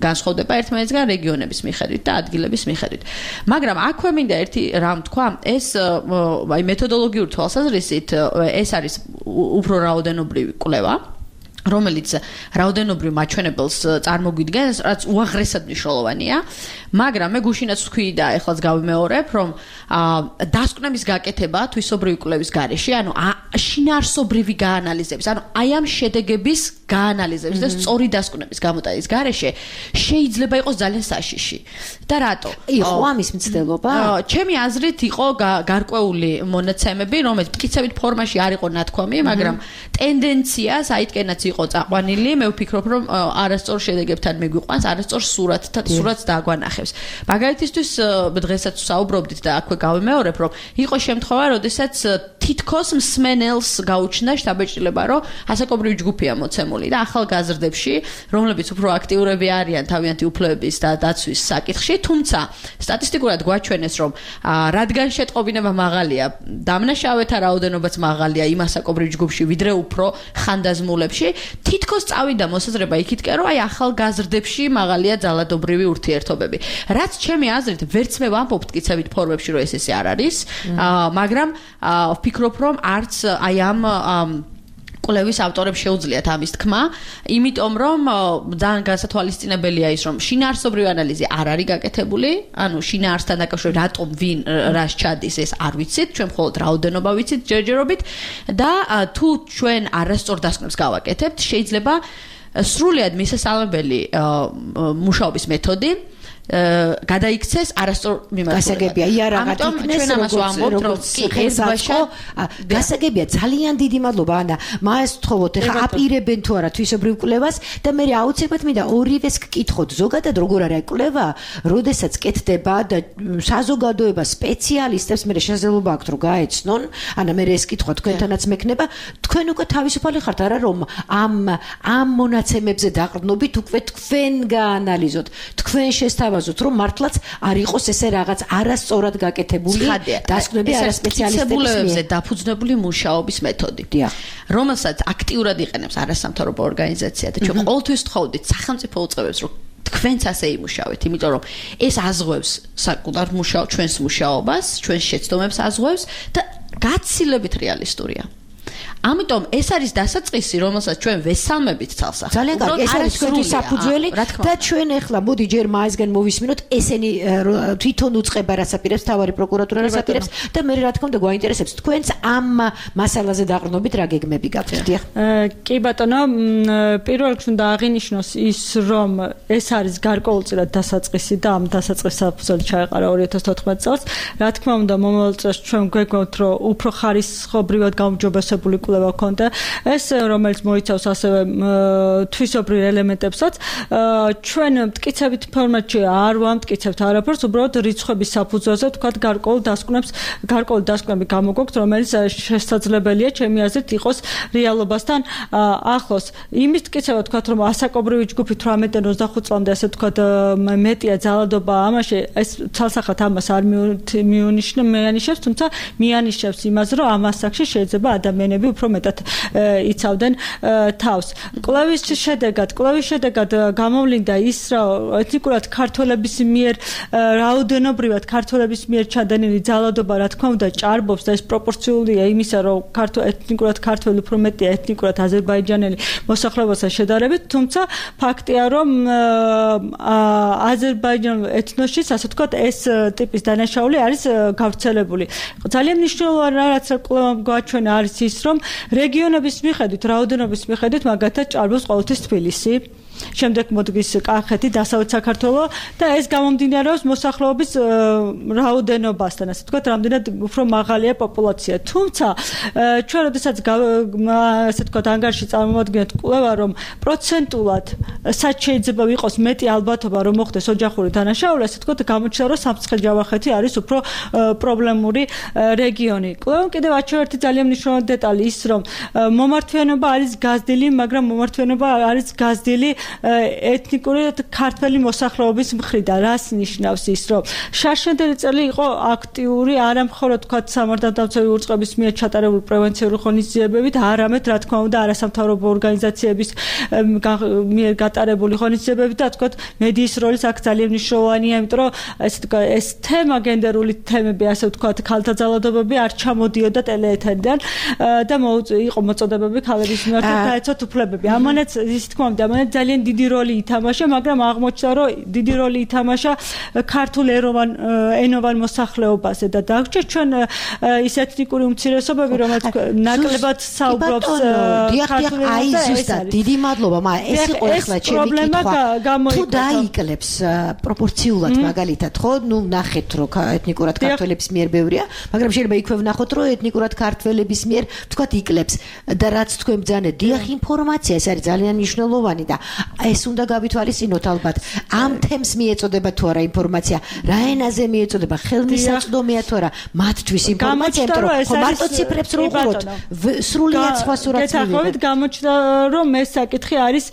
განსხვავდება ერთმანეთისგან რეგიონების მიხედვით და ადგილების მიხედვით. მაგრამ აქვე მინდა ერთი რამ თქვა, ეს აი მეთოდოლოგიური თვალსაზრისით ეს არის უფრო რაოდენობრივი კვლევა, რომელიც რაოდენობრივ მაჩვენებელს წარმოგვიდგენს, რაც უაღრესად მნიშვნელოვანია, მაგრამ მე გუშინაც ვთქვი და ეხლაც გავიმეორებ, რომ დასკვნების გაკეთება თვისობრივი კვლევის გარეშე, ანუ შინაარსობრივი გაანალიზების, ანუ აი ამ შედეგების გაანალიზების და სწორი დასკვნების გამოტანის გარეშე შეიძლება იყოს ძალიან საშიში. და რატო? იყო ამის მცდელობა? ჩემი აზრით იყო გარკვეული მონაცემები, რომელიც მტკიცებით ფორმაში არ იყო ნათქვამი, მაგრამ ტენდენციას აიტკენაც იყო წაყვანილი, მე ვფიქრობ, რომ არასწორ შედეგებთან მიგვიყვანს, არასწორ სურათს დააგვანახებს. მაგალითისთვის დღესაც ვსაუბრობდით და აქვე გავიმეორებ, რომ იყო შემთხვევა, როდესაც თითქოს მსმენელს გაუჩნდა შთაბეჭდილება, რომ ასაკობრივი ჯგუფია მოცემული და ახალგაზრდებში, რომლებიც უფრო აქტიურები არიან თავიანთი უფლებების და დაცვის საკითხში, თუმცა სტატისტიკურად გვაჩვენეს, რომ რადგან შეტყობინება მაღალია, დამნაშავეთა რაოდენობაც მაღალია იმ ასაკობრივ ჯგუფში, ვიდრე უფრო ხანდაზმულებში, თითქოს წავიდა მოსაზრება იქითკენ, რომ აი ახალგაზრდებში მაღალია ძალადობრივი ურთიერთობები. რაც ჩემი აზრით, ვერც მე ვამბობ მტკიცებით ფორმებში, რომ ესე არ არის, მაგრამ ვფიქრობ, რომ არც აი ამ კვლევის ავტორებს შეუძლიათ ამის თქმა, იმიტომ რომ ძალიან განსათვალისწინებელია ის, რომ შინაარსობრივი ანალიზი არ არის გაკეთებული, ანუ შინაარსთან დაკავშირებით რატომ ვინ რას ჩადის, ეს არ ვიცით, ჩვენ მხოლოდ რაოდენობა ვიცით ჯერჯერობით და თუ ჩვენ არასწორ დასკვნებს გავაკეთებთ, შეიძლება სრულიად მისასალმებელი მუშაობის მეთოდი გადაიქცეს არასწორ მიმართულებად. გასაგებია, იარაღად იქნეს, როგორც ხერხბაშა, გასაგებია, ძალიან დიდი მადლობა ანა. მას ვთხოვოთ, ეხლა აპირებენ თუ არა თვისობრივ კვლევას და მე აუცილებლად მინდა ორივეს გკითხოთ. ზოგადად როგორ არის კვლევა, როდესაც კეთდება და საზოგადოება სპეციალისტებს მე შესაძლებლობა აქვთ რომ გაეცნონ, ანა მე ეს კითხვა თქვენთანაც მექნება, თქვენ უკვე თავისუფალი ხართ არა რომ ამ მონაცემებზე დაყრდნობით უკვე თქვენ გაანალიზოთ, თქვენ შესთავაზოთ რომ მართლაც არ იყოს ესე რაღაც არასწორად გაკეთებული დასკვნები არასპეციალისტების მიერ დაფუძნებული მუშაობის მეთოდი, რომელსაც აქტიურად იყენებს არასამთავრობო ორგანიზაცია და ჩვენ ყოველთვის ვთხოვდით სახელმწიფო უწყებებს რომ თქვენც ასე იმუშავეთ, იმიტომ რომ ეს აზღვევს საკუთარ ჩვენს მუშაობას, ჩვენს შეცდომებს აზღვევს და გაცილებით რეალისტურია. ამიტომ ეს არის დასაწყისი, რომელსაც ჩვენ ვესალმებით თალსახ. ძალიან კარგი, ეს არის თქვენი საფუძველი და ჩვენ ახლა მოდი ჯერ მაისგან მოვისმინოთ ესენი თვითონ უწყება რას აპირებს, თავარი პროკურატურა რას აპირებს და მე რა თქმა უნდა გვაინტერესებს თქვენც ამ მასალაზე დაყრდნობით რა გეგმები გაქვთ. კი ბატონო, პირველ რიგში უნდა აღინიშნოს ის, რომ ეს არის გარკვეულწილად დასაწყისი და ამ დასაწყის საფუძველი ჩაეყარა 2014 წელს. რა თქმა უნდა, მომავალ წელს ჩვენ გვეგმავთ, რომ უფრო ხარისხობრივად გაუმჯობესებული კვლევა ქონდა ეს რომელიც მოიცავს ასევე თვისობრივ ელემენტებსაც ჩვენ მტკიცებით ფორმატში არ ვამტკიცებთ არაფერს უბრალოდ რიცხვების საფუძველზე თქვათ გარკვეულ დასკვნები გამოგვაქვთ რომელიც შესაძლებელია ჩემი აზრით იყოს რეალობასთან ახლოს იმის მტკიცება თქვათ რომ ასაკობრივი ჯგუფი 18-25 წლამდე ასე თქვათ მეტია ძალადობა ამაში ეს ცალსახად ამას არ მიანიშნებს თუმცა მიანიშნებს იმას რომ ამ ასაკში შეიძლება ადამიანები უფრო მეტად იცავდნენ თავს. კვლევის შედეგად გამოვლინდა ის, რომ ეთნიკურად ქართველების მიერ რაოდენობრივად ქართველების მიერ ჩადენილი ძალადობა, რა თქმა უნდა, ჭარბობს და ეს პროპორციულია იმისა, რომ ეთნიკურად ქართველი უფრო მეტია ეთნიკურად აზერბაიჯანელი მოსახლეობასთან შედარებით, თუმცა ფაქტია, რომ აზერბაიჯანულ ეთნოსში, ასე ვთქვათ, ეს ტიპის დანაშაული არის გავრცელებული. ძალიან მნიშვნელოვანი რაც კვლევამ გვაჩვენა არის ის, რომ რეგიონების მიხედვით, რაოდენობის მიხედვით, მაგათაც ჭარბობს ყოველთვის თბილისი. შემდეგ მოდგის კახეთი, დასავლეთ საქართველო და ეს გამომდინარეობს მოსახლეობის რაოდენობასთან, ასე ვთქვათ, რამდენად უფრო მაღალია პოპულაცია. თუმცა ჩვენ როდესაც ასე ვთქვათ, ანგარიში წარმოვადგენთ კვლევა, რომ პროცენტულად სად შეიძლება ვიყოს მეტი ალბათობა, რომ მოხდეს ოჯახური დანაშაული, ასე ვთქვათ, გამოჩნდა, რომ სამცხე-ჯავახეთი არის უფრო პრობლემური რეგიონი. კვლევამ კიდევ აჩვენა ერთი ძალიან მნიშვნელოვანი დეტალი ის, რომ მომართვიანობა არის გაზრდილი, მაგრამ მომართვიანობა არის გაზრდილი ეთნიკური ქართველი მოსახლეობის მხრიდან. რას ნიშნავს ის, რომ შარშანდელი წელი იყო აქტიური არა მხოლოდ თქვათ სამართალდამცავი უწყების მიერ ჩატარებული პრევენციული ღონისძიებებით, არამედ რა თქმა უნდა არასამთავრობო ორგანიზაციების მიერ გატარებული ღონისძიებებით და თქვათ მედიის როლიც აქ ძალიან მნიშვნელოვანია, იმიტომ რომ ეს თემა გენდერული თემები, ასე ვთქვათ, ქალთა ძალადობები არ ჩამოდიოდა ტელეეთერიდან და იყო მოწოდებები ქალების მიმართ გაეცოთ უფლებები. ამანაც ისე თქმა უნდა, ამანაც ძალიან დიდი როლი ითამაშა, მაგრამ აღმოჩნდა, რომ დიდი როლი ითამაშა ქართულ ენოვან მოსახლეობაზე და დაგვრჩა ჩვენ ის ეთნიკური უმცირესობები, რომელიც ნაკლებად საუბრობს ქართულ ენაზე. ზუსტად, დიდი მადლობა, მაგრამ ეს იყო ახლა ჩემი კითხვა. თუ დაიკლებს პროპორციულად მაგალითად, ხო, ნუ ნახეთ, რომ ეთნიკურად ქართველების მიერ ბევრია, მაგრამ შეიძლება იქვე ვნახოთ, რომ ეთნიკურად ქართველების მიერ თქვათ იკლებს და რაც თქვენ ბძანეთ, დიახ, ინფორმაცია ეს არის ძალიან მნიშვნელოვანი და ეს უნდა გავითვალისწინოთ ალბათ. ამ თემს მიეწოდება თუ არა ინფორმაცია, რა ენაზე მიეწოდება, ხელმისაწვდომია თუ არა მათთვის ინფორმაცია, იმიტომ რომ მარტო ციფრებს რო უყუროთ, სრულიად სხვა სურათს მივიღებთ. გამოჩნდა, რომ ეს საკითხი არის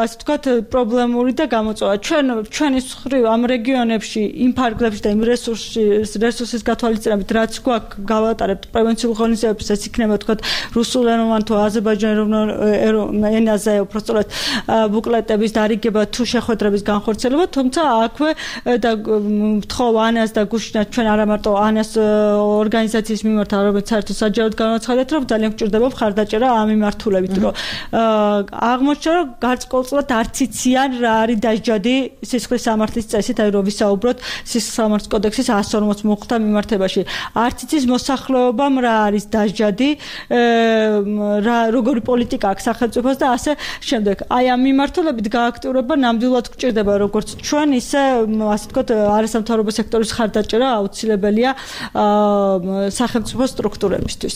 ასე ვთქვათ პრობლემური და გამოწვევა. ჩვენი მხრივ ამ რეგიონებში, იმ ფარგლებში და იმ რესურსის გათვალისწინებით, რაც გვაქვს გავატარებთ პრევენციულ ღონისძიებებს, ეს იქნება ვთქვათ რუსულენოვან თუ აზერბაიჯანულ ენაზე უბრალოდ ბუკლეტების დარიგება თუ შეხვედრების განხორციელება, თუმცა აქვე და მთხოვ ანას და გუშინაც ჩვენ არა მარტო ანას ორგანიზაციის მიმართ, არამედ საერთოდ საჯაროდ განაცხადეთ, რომ ძალიან გვჭირდება მხარდაჭერა ამ მიმართულებით, რომ აღმოჩნდა, რომ გარკვეულწილად არც იციან რა არის დასჯადი სისხლის სამართლის წესით, აი რომ ვისაუბროთ სისხლის სამართლის კოდექსის 140 მუხტა მიმართებაში. არც იცის მოსახლეობამ რა არის დასჯადი, როგორი პოლიტიკა აქვს სახელმწიფოს და ასე შემდეგ. აი ამ მიმართულებით გააქტიურება ნამდვილად გვჭირდება როგორც ჩვენ, ისე ასე ვთქვათ, არასამთავრობო სექტორის მხარდაჭერა აუცილებელია სახელმწიფო სტრუქტურებისთვის.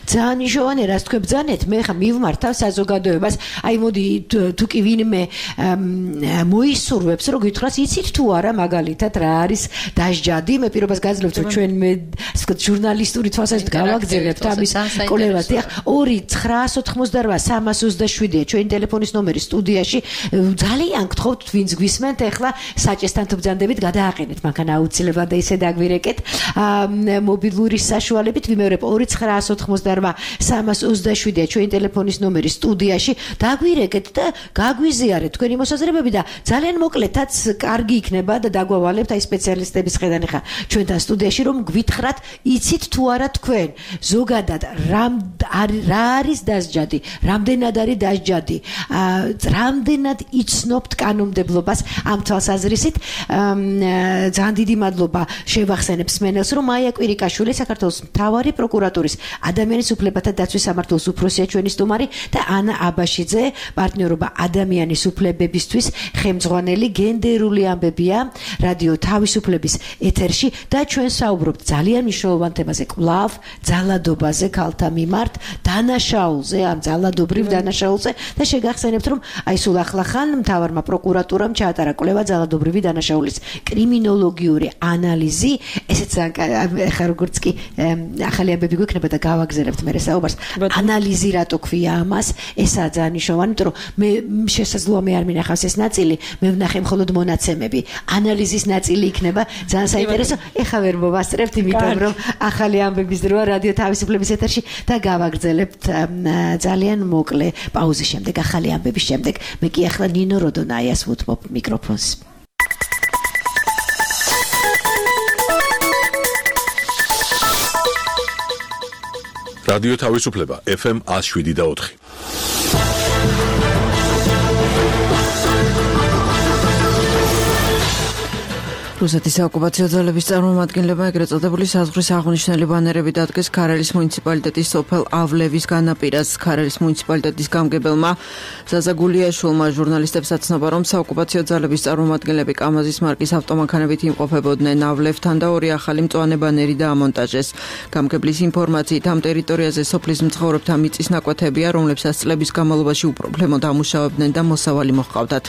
ძალიან მნიშვნელოვანია, რაც თქვენ ბძანეთ, მე ხა მივმართავ საზოგადოებას. აი მოდი თუ კი ვინმე მოისურვებს, რომ გითხრას, იცით თუ არა მაგალითად რა არის დასჯადი, მე პირობას გაძლევთ, რომ ჩვენ მე ასე ვთქვათ ჟურნალისტური თვალსაზრისით გავაგზავნებთ ამის კოლევას. დიახ, 2-925-327-ია ჩვენი ტელეფონის ნომერი სტუდიაში. ძალიან გთხოვთ, ვინც გვისმენთ, ახლა საჭესთან თუ ბძანდებით გადააყენეთ, მანქანა აუცილებლად და ისე დაგვირეკეთ მობილური საშუალებით. ვიმეორებ 2-925-327-ია ჩვენი ტელეფონის ნომერი სტუდიაში. დაგვირეკეთ და გაგვიზიარეთ თქვენი მოსაზრებები და ძალიან მოკლედაც კარგი იქნება და დაგვავალებთ აი სპეციალისტების ხედან ახლა ჩვენთან სტუდიაში, რომ გვითხრათ, იცით თუ არა თქვენ ზოგადად რა არის დასჯადი, რამდენად არის დასჯადი, რამდენად იცნობთ კანონმდებლობას ამ თვალსაზრისით. ძალიან დიდი მადლობა შევახსენებ სმენელს, რომ მაია კვირიკაშვილი, საქართველოს მთავარი პროკურატურის ადამიანის უფლებათა დაცვის სამმართველოს უფროსია ჩვენი სტუმარი და ანა აბაშიძე, პარტნიორობა ადამიანის უფლებებისთვის ხელმძღვანელი. გენდერული ამბებია რადიო თავისუფლების ეთერში და ჩვენ საუბრობთ ძალიან მნიშვნელოვან თემაზე, კვლავ ძალადობაზე ქალთა მიმართ, დანაშაულზე, ამ ძალადობრივ დანაშაულზე და შეგახსენებთ, რომ აი სულ ახლახან მთავარმა პროკურატურამ ჩაატარა კვლევა ძალადობრივი დანაშაულის კრიმინოლოგიური ანალიზი. ესეც ახლა როგორც კი ახალი ამბები გვექნება და გავაგზავნებთ მე საუბარს. ანალიზი რატო ქვია ამას? ესაა ძალიან მნიშვნელოვანი, იმიტომ რომ მე შესაძლოა მე არ მინახავს ეს ნაწილი, მე ვნახე მხოლოდ მონაცემები. ანალიზის ნაწილი იქნება ძალიან საინტერესო. ეხლა ვერ მოვასწრებთ, იმიტომ რომ ახალი ამბების დროა რადიო თავისუფლების ეთერში და გავაგრძელებთ ძალიან მოკლე პაუზის შემდეგ, ახალი ამბების შემდეგ. მე კი ახლა ნინო როდონაიას ვუთმობ მიკროფონს. რადიო თავისუფლება FM 107.4. რუსეთის საოკუპაციო ძალების წარმომადგენლებმა ეგრეთ წოდებული საზღვრის აღნიშნული ბანერები დადგეს ქარელის მუნიციპალიტეტის სოფელავლევის განაპირას. ქარელის მუნიციპალიტეტის გამგებელმა ზაზა გულიაშვილმა ჟურნალისტებსაც ცნობა, რომ საოკუპაციო ძალების წარმომადგენლები კამაზის მარკის ავტომანქანებით იმყოფებოდნენავლევთან და ორი ახალი მწვანე ბანერი დაამონტაჟეს. გამგებლის ინფორმაციით ამ ტერიტორიაზე სოფლის მცხოვრებთა მიწის ნაკვეთებია, რომლებსაც წლების განმავლობაში უპრობლემოდ ამუშავებდნენ და მოსავალი მოჰყავდათ.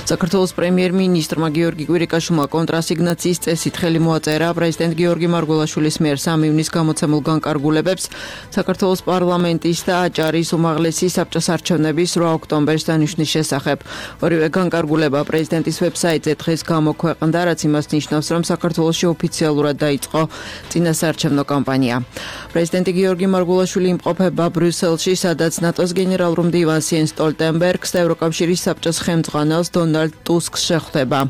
საქართველოს პრემიერ-მინისტრმა გიორგი კვირიკაშვილმა კონტრასიგნაციის წესით ხელი მოაწერა პრეზიდენტ გიორგი მარგველაშვილის მიერ 3 ივნის გამოცემულ განკარგულებებს საქართველოს პარლამენტის და აჭარის უმაღლესი საბჭოს არჩევნების 8 ოქტომბერს დანიშნვის შესახებ. ორივე განკარგულება პრეზიდენტის ვებსაიტზე დღეს გამოქვეყნდა, რაც იმას ნიშნავს, რომ საქართველოში ოფიციალურად დაიწყო წინასაარჩევნო კამპანია. პრეზიდენტი გიორგი მარგველაშვილი იმყოფება ბრიუსელში, სადაც ნატოს გენერალურ მდივანს იენს სტოლტენბერგს და ევროკავშირის საბჭოს ხელმძღვანელს დონალდ ტუსკს შეხვდება.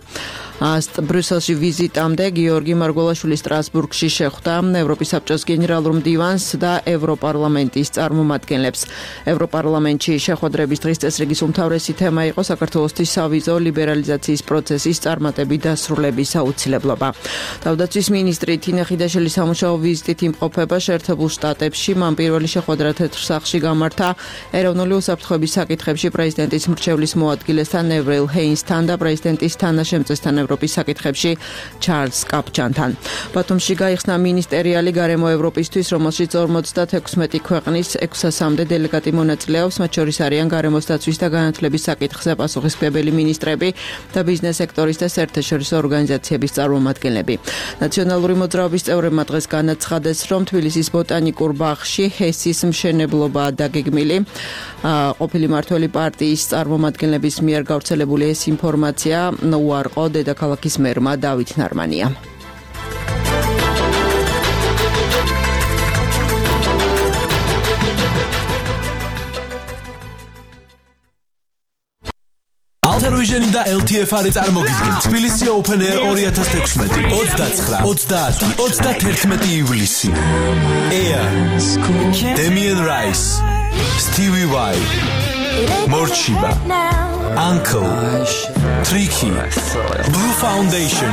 ბრიუსელში ვიზიტამდე გიორგი მარგველაშვილი სტრასბურგში შეხვდა ევროპის საბჭოს გენერალურ მდივანს და ევროპარლამენტის წარმომადგენლებს. ევროპარლამენტში შეხვედრების დღის წესრიგის უმთავრესი თემა იყო საქართველოსთვის სავიზო ლიბერალიზაციის პროცესის წარმატებით დასრულების აუცილებლობა. თავდაცვის მინისტრი თინა ხიდაშელი სამუშაო ვიზიტით იმყოფება შეერთებულ შტატებში. მან პირველი შეხვედრა თეთრ სახლში გამართა ეროვნული უსაფრთხოების საკითხებში პრეზიდენტის მრჩევლის მოადგილესთან ევრილ ჰეინსთან და პრეზიდენტის თანაშემწესთან ევროპის საკითხებში ჩარლზ კაპჩანთან. ბათუმში გაიხსნა მინისტერიალი გარემო ევროპისთვის, რომელშიც 56 ქვეყნის 600-მდე დელეგატი მონაწილეობს, მათ შორის არიან გარემოს დაცვის და განათლების საკითხზე პასუხისმგებელი მინისტრები და ბიზნეს სექტორის და საერთაშორისო ორგანიზაციების წარმომადგენლები. ნაციონალური მოძრაობის წევრებმა დღეს განაცხადეს, რომ თბილისის ბოტანიკურ ბაღში ჰესის მშენებლობაა დაგეგმილი. ყოფილი მმართველი პარტიის წარმომადგენლების მიერ გავრცელებული ეს ინფორმაცია უარყო დედაქალაქის მერმა დავით ნარმანია. ალტერვიჟენი და LTFR წარმოგიდგენ თბილისი Open Air 2016 29-30-31 ივლისი. Air, Damien Rice, Stevie Vai, Morchiba, Uncle, Tricky, Blue Foundation,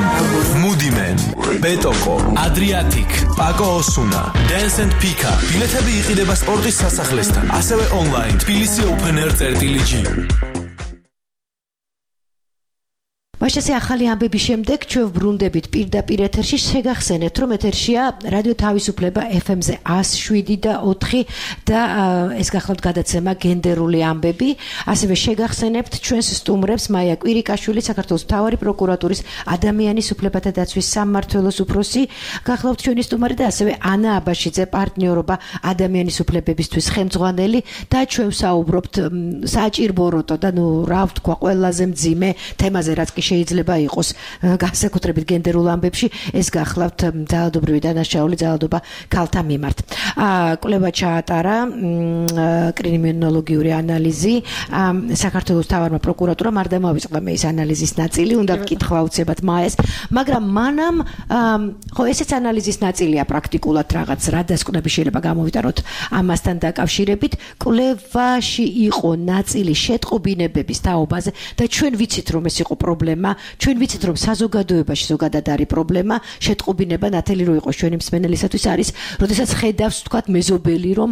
Moody Man, Betoko, Adriatic, Paco Osuna, Dance and Pika. ბილეთები იყიდება სპორტის სასახლესთან, ასევე online თბილისი Open Air.g. მაშასე ახალი ამბების შემდეგ ჩვენ ვბრუნდებით პირდაპირ ეთერში. შეგახსენეთ, რომ ეთერშია რადიო თავისუფლება FM-ზე 107.4 და ეს გახლავთ გადაცემა გენდერული ამბები. ასევე შეგახსენებთ ჩვენს სტუმრებს მაია კვირიკაშვილი, საქართველოს მთავარი პროკურატურის ადამიანის უფლებათა დაცვის სამმართველოს უფროსი, გახლავთ ჩვენი სტუმარი და ასევე ანა აბაშიძე, პარტნიორობა ადამიანის უფლებებისთვის ხელმძღვანელი და ჩვენ ვსაუბრობთ საჭირბოროტო და რა ვთქვა ყველაზე მძიმე თემაზე, რაც კი შეიძლება იყოს განსაკუთრებით გენდერულ ამბებში, ეს გახლავთ ძალადობრივი დანაშაული ძალადობა ქალთა მიმართ. კვლევა ჩაატარა კრიმინოლოგიური ანალიზი. საქართველოს მთავარმა პროკურატურამ არ დამავიწყდა მე ეს ანალიზის ნაწილი, უნდა ვკითხვა უცებად მაეს, მაგრამ მანამ ხო ესეც ანალიზის ნაწილია პრაქტიკულად რაღაც რა დასკვნები შეიძლება გამოვიტანოთ ამასთან დაკავშირებით. კვლევაში იყო ნაწილი შეტყობინებების თაობაზე და ჩვენ ვიცით რომ ეს იყო პრობლემა. ჩვენ ვიცით რომ საზოგადოებაში ზოგადად არის პრობლემა, შეტყობინება ნათელი რო იყოს ჩვენი მსმენელისათვის არის, როდესაც ხედავს თქვათ მეზობელი რომ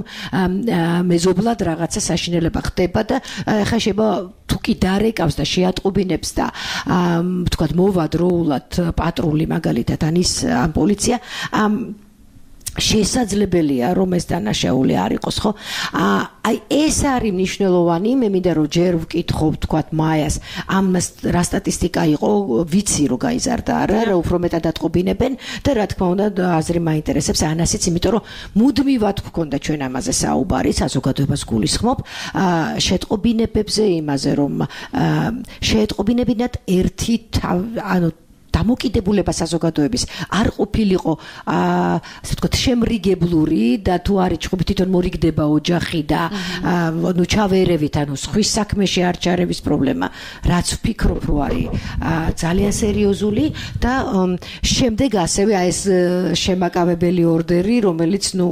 მეზობლად რაღაცა საშინელება ხდება და ხა შეიძლება თუ კი დარეკავს და შეატყობინებს და თქვათ მოვა დროულად პატრული მაგალითად ანის პოლიცია შესაძლებელია რომ ეს დანაშაული არ იყოს, ხო? აი ეს არის მნიშვნელოვანი. მე მინდა რომ ჯერ ვკითხო თქვათ მაიას ამას რა სტატისტიკა იყო, ვიცი რომ გაიზარდა არა, რა უფრო მეტად ატყობინებენ და რა თქმა უნდა აზრი მაინტერესებს ანასიც, იმიტომ რომ მუდმივად გვქონდა ჩვენ ამაზე საუბარი, საზოგადოებას გულისხმობ შეტყობინებებზე, იმაზე რომ შეეტყობინებინათ ერთი ანუ დამოკიდებულება საზოგადოების არ ყოფილიყო ასე ვთქვათ შემრიგებლური და თუ არის ჭუბი თვითონ მორიგდება ოჯახი და ნუ ჩავერევით ანუ სხვის საქმეში არ ჩარევის პრობლემა რაც ვფიქრობ რომ არის ძალიან სერიოზული და შემდეგ ასევე ეს შემაკავებელი ორდერი რომელიც ნუ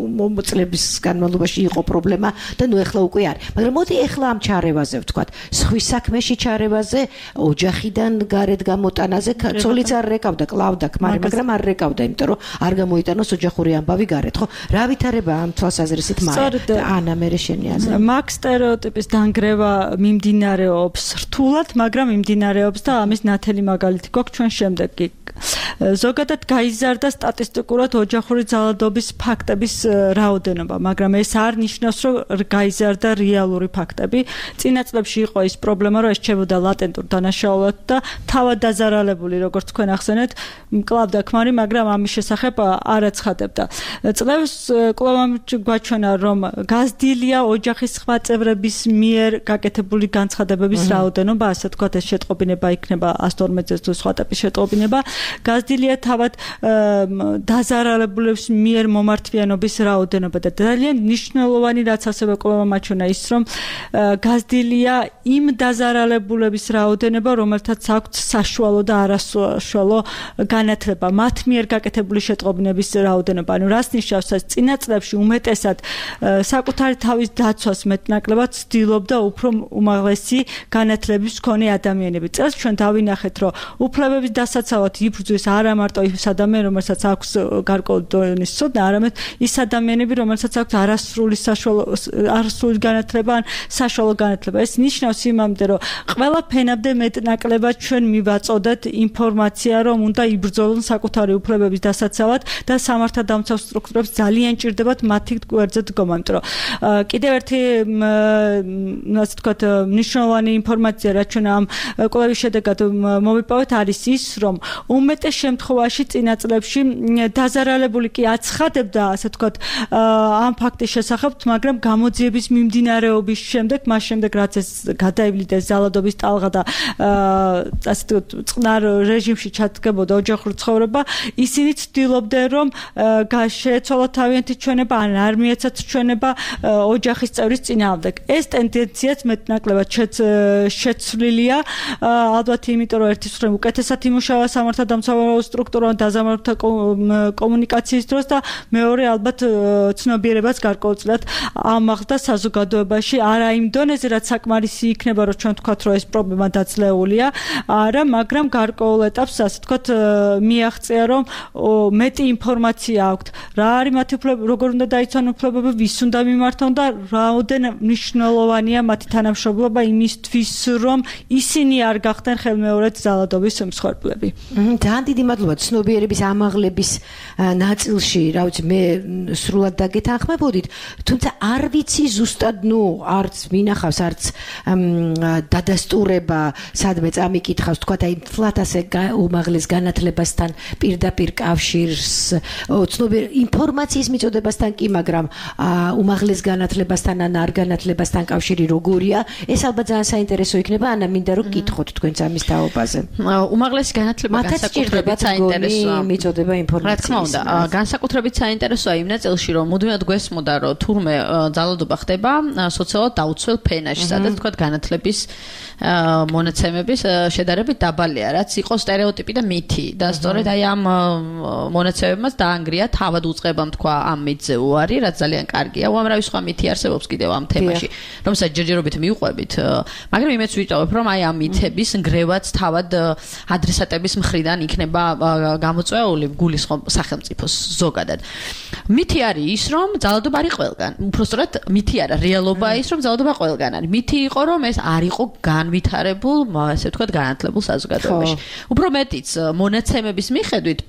წლების განმავლობაში იყო პრობლემა და ნუ ეხლა უკვე არის მაგრამ მოდი ეხლა ამ ჩარევაზე ვთქვათ სხვის საქმეში ჩარევაზე ოჯახიდან გარეთ გამოტანაზე ცოლიც არ რეკავდა, კლავდა ქმარი, მაგრამ არ რეკავდა, იმიტომ რომ არ გამოიტანოს ოჯახური ამბავი გარეთ, ხო? რა ვითარება ამ თვალსაზრისით ანა მე შენი აზრი? მაგ სტერეოტიპის დანგრევა მიმდინარეობს რთულად, მაგრამ მიმდინარეობს და ამის ნათელი მაგალითი გვაქვს ჩვენ შემდეგი. ზოგადად გაიზარდა სტატისტიკურად ოჯახური ძალადობის ფაქტების რაოდენობა, მაგრამ ეს არ ნიშნავს, რომ გაიზარდა რეალური ფაქტები. წინა წლებში იყო ის პრობლემა, რომ ეს რჩებოდა ლატენტურ დანაშაულად და თავად დაზარალებული, როგორც თქვენ ახსენეთ, მკლავდა ქმარი, მაგრამ ამის შესახებ არ აცხადებდა. წლებს კვლავ გვაჩვენა, რომ გაზრდილია ოჯახის სხვა წევრების მიერ გაკეთებული განცხადებების რაოდენობა, ასე ვთქვათ, ეს შეტყობინება იქნება 112-ზე თუ სხვა ტიპის შეტყობინება. გაზრდილია თავად დაზარალებულების მიერ მომართვიანობის რაოდენობა და ძალიან მნიშვნელოვანი რაც ასევე კვლავ მაჩვენა ის, რომ გაზრდილია იმ დაზარალებულების რაოდენობა, რომელთაც აქვთ საშუალო და არასაშუალო განათლება, მათ მიერ გაკეთებული შეტყობინების რაოდენობა. ანუ რას ნიშნავს ეს? წინა წლებში უმეტესად საკუთარი თავის დაცვას მეტნაკლებად ცდილობდა უფრო უმაღლესი განათლების მქონე ადამიანები. წელს ჩვენ დავინახეთ, რომ უფლებების დასაცავად იბრძვის არა მარტო ის ადამიანი, რომელსაც აქვს გარკვეული დონის ცოდნა, არამედ ის ადამიანები, რომელსაც აქვს არასრული განათლება ან საშუალო განათლება. ეს ნიშნავს იმამდე, რომ ყველა ფენამდე მეტნაკლებად ჩვენ მივაწოდეთ ინფორმაცია, რომ უნდა იბრძოლონ საკუთარი უფლებების დასაცავად და სამართალდამცავ სტრუქტურებს ძალიან ჭირდებათ მათი გვერდზე დგომა. იმიტომ რომ კიდევ ერთი ასე ვთქვათ მნიშვნელოვანი ინფორმაცია, რაც ჩვენ ამ კვლევის შედეგად მოვიპოვეთ, არის ის, რომ უმეტეს შემთხვევაში წინა წლებში დაზარალებული კი აცხადებდა, ასე ვთქვათ, ამ ფაქტის შესახებ, მაგრამ გამოძიების მიმდინარეობის შემდეგ, მას შემდეგ რაც ეს გადაივლიდეს ძალადობის ტალღა და ასე ვთქვათ, წყნარ რეჟიმში ჩადგებოდა ოჯახური ცხოვრება, ისინი ცდილობდნენ, რომ შეეცვალათ თავიანთი ჩვენება, ან არ მიეცათ ჩვენება ოჯახის წევრის წინააღმდეგ. ეს ტენდენციაც მეტნაკლებად შეცვლილია, ალბათ იმიტომ, რომ ერთის მხრივ უკეთესად იმუშავა სამართალდამცავ სტრუქტურა დაზამართა კომუნიკაციის დროს და მეორე ალბათ ცნობიერებაც გარკვეულწილად ამაღლდა საზოგადოებაში, არა იმ დონეზე, რაც საკმარისი იქნება, რომ ჩვენ ვთქვათ, რომ ეს პრობლემა დაძლეულია, არა, მაგრამ გარკვეულ ეტაპს, ასე ვთქვათ, მიაღწია, რომ მეტი ინფორმაცია აქვთ, რა არის მათი უფლებები, როგორ უნდა დაიცვან უფლებები, ვის უნდა მიმართონ და რაოდენ მნიშვნელოვანია მათი თანამშრომლობა იმისთვის, რომ ისინი არ გახდნენ ხელმეორედ ძალადობის მსხვერპლები. ძალიან დიდი მადლობა ცნობიერების ამაღლების ნაწილში, რა ვიცი, მე სრულად დაგეთანხმებოდით, თუმცა არ ვიცი ზუსტად, არც მინახავს, არც დადასტურება, სადმე წამიკითხავს, თქვა აი თლათ ასე უმაღლეს განათლებასთან პირდაპირ კავშირს, ინფორმაციის მიწოდებასთან კი, მაგრამ უმაღლეს განათლებასთან ან არ განათლებასთან კავშირი როგორია, ეს ალბათ ძალიან საინტერესო იქნება, ანა მინდა რომ გითხოთ თქვენც ამის თაობაზე. უმაღლესი განათლება განსაკუთრებით საინტერესოა მიწოდება ინფორმაციის. რა თქმა უნდა, განსაკუთრებით საინტერესოა იმ ნაწილში, რომ მუდმივად გვესმოდა, რომ თურმე ძალადობა ხდება სოციალურად დაუცველ ფენაში, სადაც თქვა განათლების მონაცემების შედარებით დაბალია, რაც იყო სტერეოტიპი და მითი და სწორედ აი ამ მონაცემებმაც დაანგრია თავად უწყებამ თქვა ამ მითზე უარი, რაც ძალიან კარგია. უამრავი სხვა მითი არსებობს კიდევ ამ თემაში, რომელსაც ჯერჯერობით მიუყვებით, მაგრამ იმეც ვიტოვებ, რომ აი ამ მითების ნგრევაც თავად ადრესატების მხრიდან იქნება გამოწვეული გულისხმობ სახელმწიფოს ზოგადად. მითი არის ის, რომ ძალადობა არის ყველგან. უпростоრად მითი არა, რეალობაა ის, რომ ძალადობა ყველგან არის. მითი იყო, რომ ეს არ იყო განვითარებულ, ასე ვთქვათ, განათლებულ საზოგადოებაში. უფრო მეტიც მონაცემების მიხედვით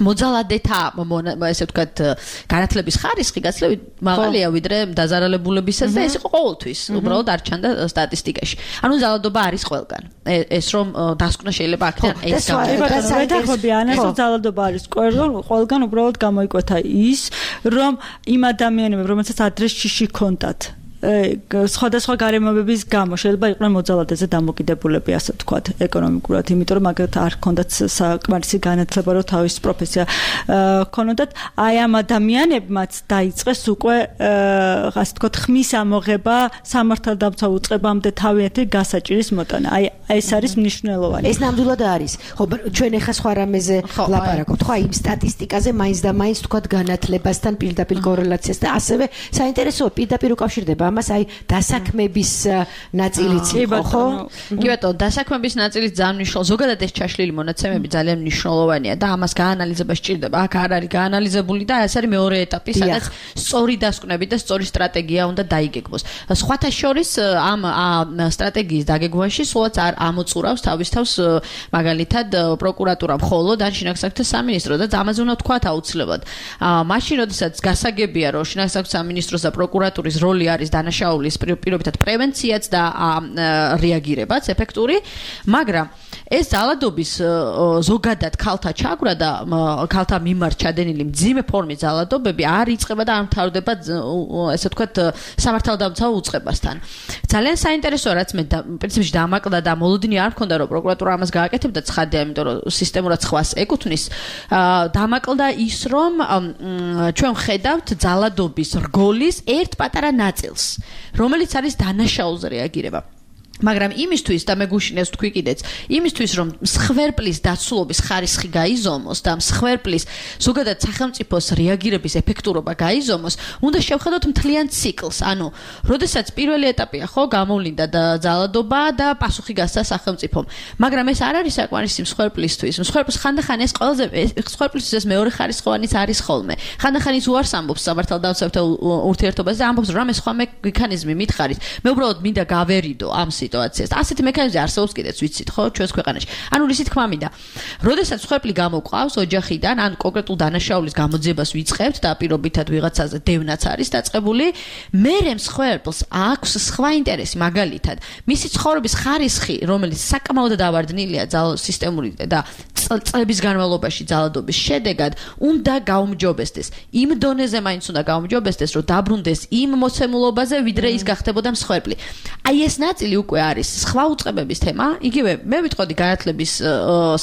მოძალადეთა ესე ვთქვათ განათლების ხარისხი გაცილებით მაღალია ვიდრე დაზარალებულებისას და ეს იყო ყოველთვის უბრალოდ არ ჩანდა სტატისტიკაში. ანუ ძალადობა არის ყველგან. ეს რომ დასკვნა შეიძლება აქედან ეს გამოდიხებიან, რომ ძალადობა არის ყველგან უბრალოდ გამოიკვეთა ის, რომ იმ ადამიანებმა, რომელსაც ადრესში ჰქონდათ სხვადასხვა გარემოებების გამო შეიძლება იყვნენ მოძალადეზე დამოკიდებულები, ასე ვთქვათ, ეკონომიკურად, იმიტომ რომ მაგათ არ ჰქონდათ საკმარისი განათლება, რომ თავის პროფესია ჰქონოდათ. აი ამ ადამიანებმაც დაიწყეს უკვე, ასე ვთქვათ, ხმის ამოღება სამართალდამცავ უწყებამდე თავიანთი გასაჭირის მოტანა. აი ეს არის მნიშვნელოვანი. ეს ნამდვილად არის. ხო, ჩვენ ახლა სხვა რამეზე ვლაპარაკობთ, ხო, იმ სტატისტიკაზე მაინც და მაინც ვთქვათ განათლებასთან პირდაპირ კორელაციას და ასევე საინტერესოა პირდაპირ უკავშირდება ამას აი დასაქმების ნაწილიც იყო, ხო? კი ბატონო, დასაქმების ნაწილიც ძალიან მნიშვნელოვანია. ზოგადად ეს ჩაშლილი მონაცემები ძალიან მნიშვნელოვანია და ამას გაანალიზება სჭირდება. აქ არ არის გაანალიზებული და ეს არის მეორე ეტაპი, სადაც სწორი დასკვნები და სწორი სტრატეგია უნდა დაიგეგმოს. სხვათა შორის ამ სტრატეგიის დაგეგმვაში სულაც არ ამოწურავს თავის თავს მაგალითად პროკურატურა მხოლოდ ან შინაგან საქმეთა სამინისტრო და ამაზე უნდა თქვათ აუცილებლად. მაშინ როდესაც გასაგებია რომ შინაგან საქმეთა სამინისტროს და პროკურატურის როლი არის დანაშაულის პირობითად პრევენციაც და რეაგირებაც ეფექტური, მაგრამ ეს ძალადობის ზოგადად ქალთა ჩაგვრა და ქალთა მიმართ ჩადენილი მძიმე ფორმის ძალადობები არ იწყება და არ მთავრდება ესე ვთქვათ სამართალდამცავ უწყებასთან. ძალიან საინტერესოა რაც მე პრინციპში დამაკლდა და მოლოდინი არ მქონდა რომ პროკურატურა ამას გააკეთებდა ცხადია, იმიტომ რომ სისტემურად ხვას ეკუთვნის. დამაკლდა ის რომ ჩვენ ვხედავთ ძალადობის რგოლის ერთ პატარა ნაწილს, რომელიც არის დანაშაულზე რეაგირება. მაგრამ იმისთვის და მე გუშინეს თქვი კიდეც, იმისთვის რომ მსხვერპლის დაცულობის ხარისხი გაიზომოს და მსხვერპლის ზოგადად სახელმწიფოს რეაგირების ეფექტურობა გაიზომოს, უნდა შევხედოთ მთლიან ციკლს. ანუ, როდესაც პირველი ეტაპია, ხო, გამოვლინდა და ძალადობა და პასუხი გასცა სახელმწიფომ. მაგრამ ეს არ არის საკმარისი მსხვერპლისთვის. მსხვერპლს ხანდახან ეს ყველაზე მსხვერპლისთვის ეს მეორე ხარისხოვანიც არის ხოლმე. ხანდახან ის უარს ამბობს სამართალდამცავთა ურთიერთობაზე და ამბობს რომ ეს სხვა მექანიზმი მითხარით. მე უბრალოდ მინდა გავერიდო ამ სიტუაციას. ასეთი მექანიზმი არსებობს კიდეც ვიცით, ხო, ჩვენს ქვეყანაში. ანუ რისი თქმა მინდა. როდესაც მსხვერპლი გამოყავს ოჯახიდან, ან კონკრეტულ დანაშაულის გამოძიებას ვიწყებთ და პირობითად ვიღაცაზე დევნაც არის დაწყებული, მერე მსხვერპლს აქვს სხვა ინტერესი, მაგალითად, მისი ცხოვრების ხარისხი, რომელიც საკმაოდ დავარდნილია სისტემური და წლების განმავლობაში ძალადობის შედეგად, უნდა გაუმჯობესდეს. იმ დონეზე მაინც უნდა გაუმჯობესდეს, რომ დაბრუნდეს იმ მოცემულობაზე, ვიდრე ის გახდებოდა მსხვერპლი. აი ეს ნაწილი უკვე არის სხვა უწყებების თემა, იგივე მე ვიტყოდი განათლების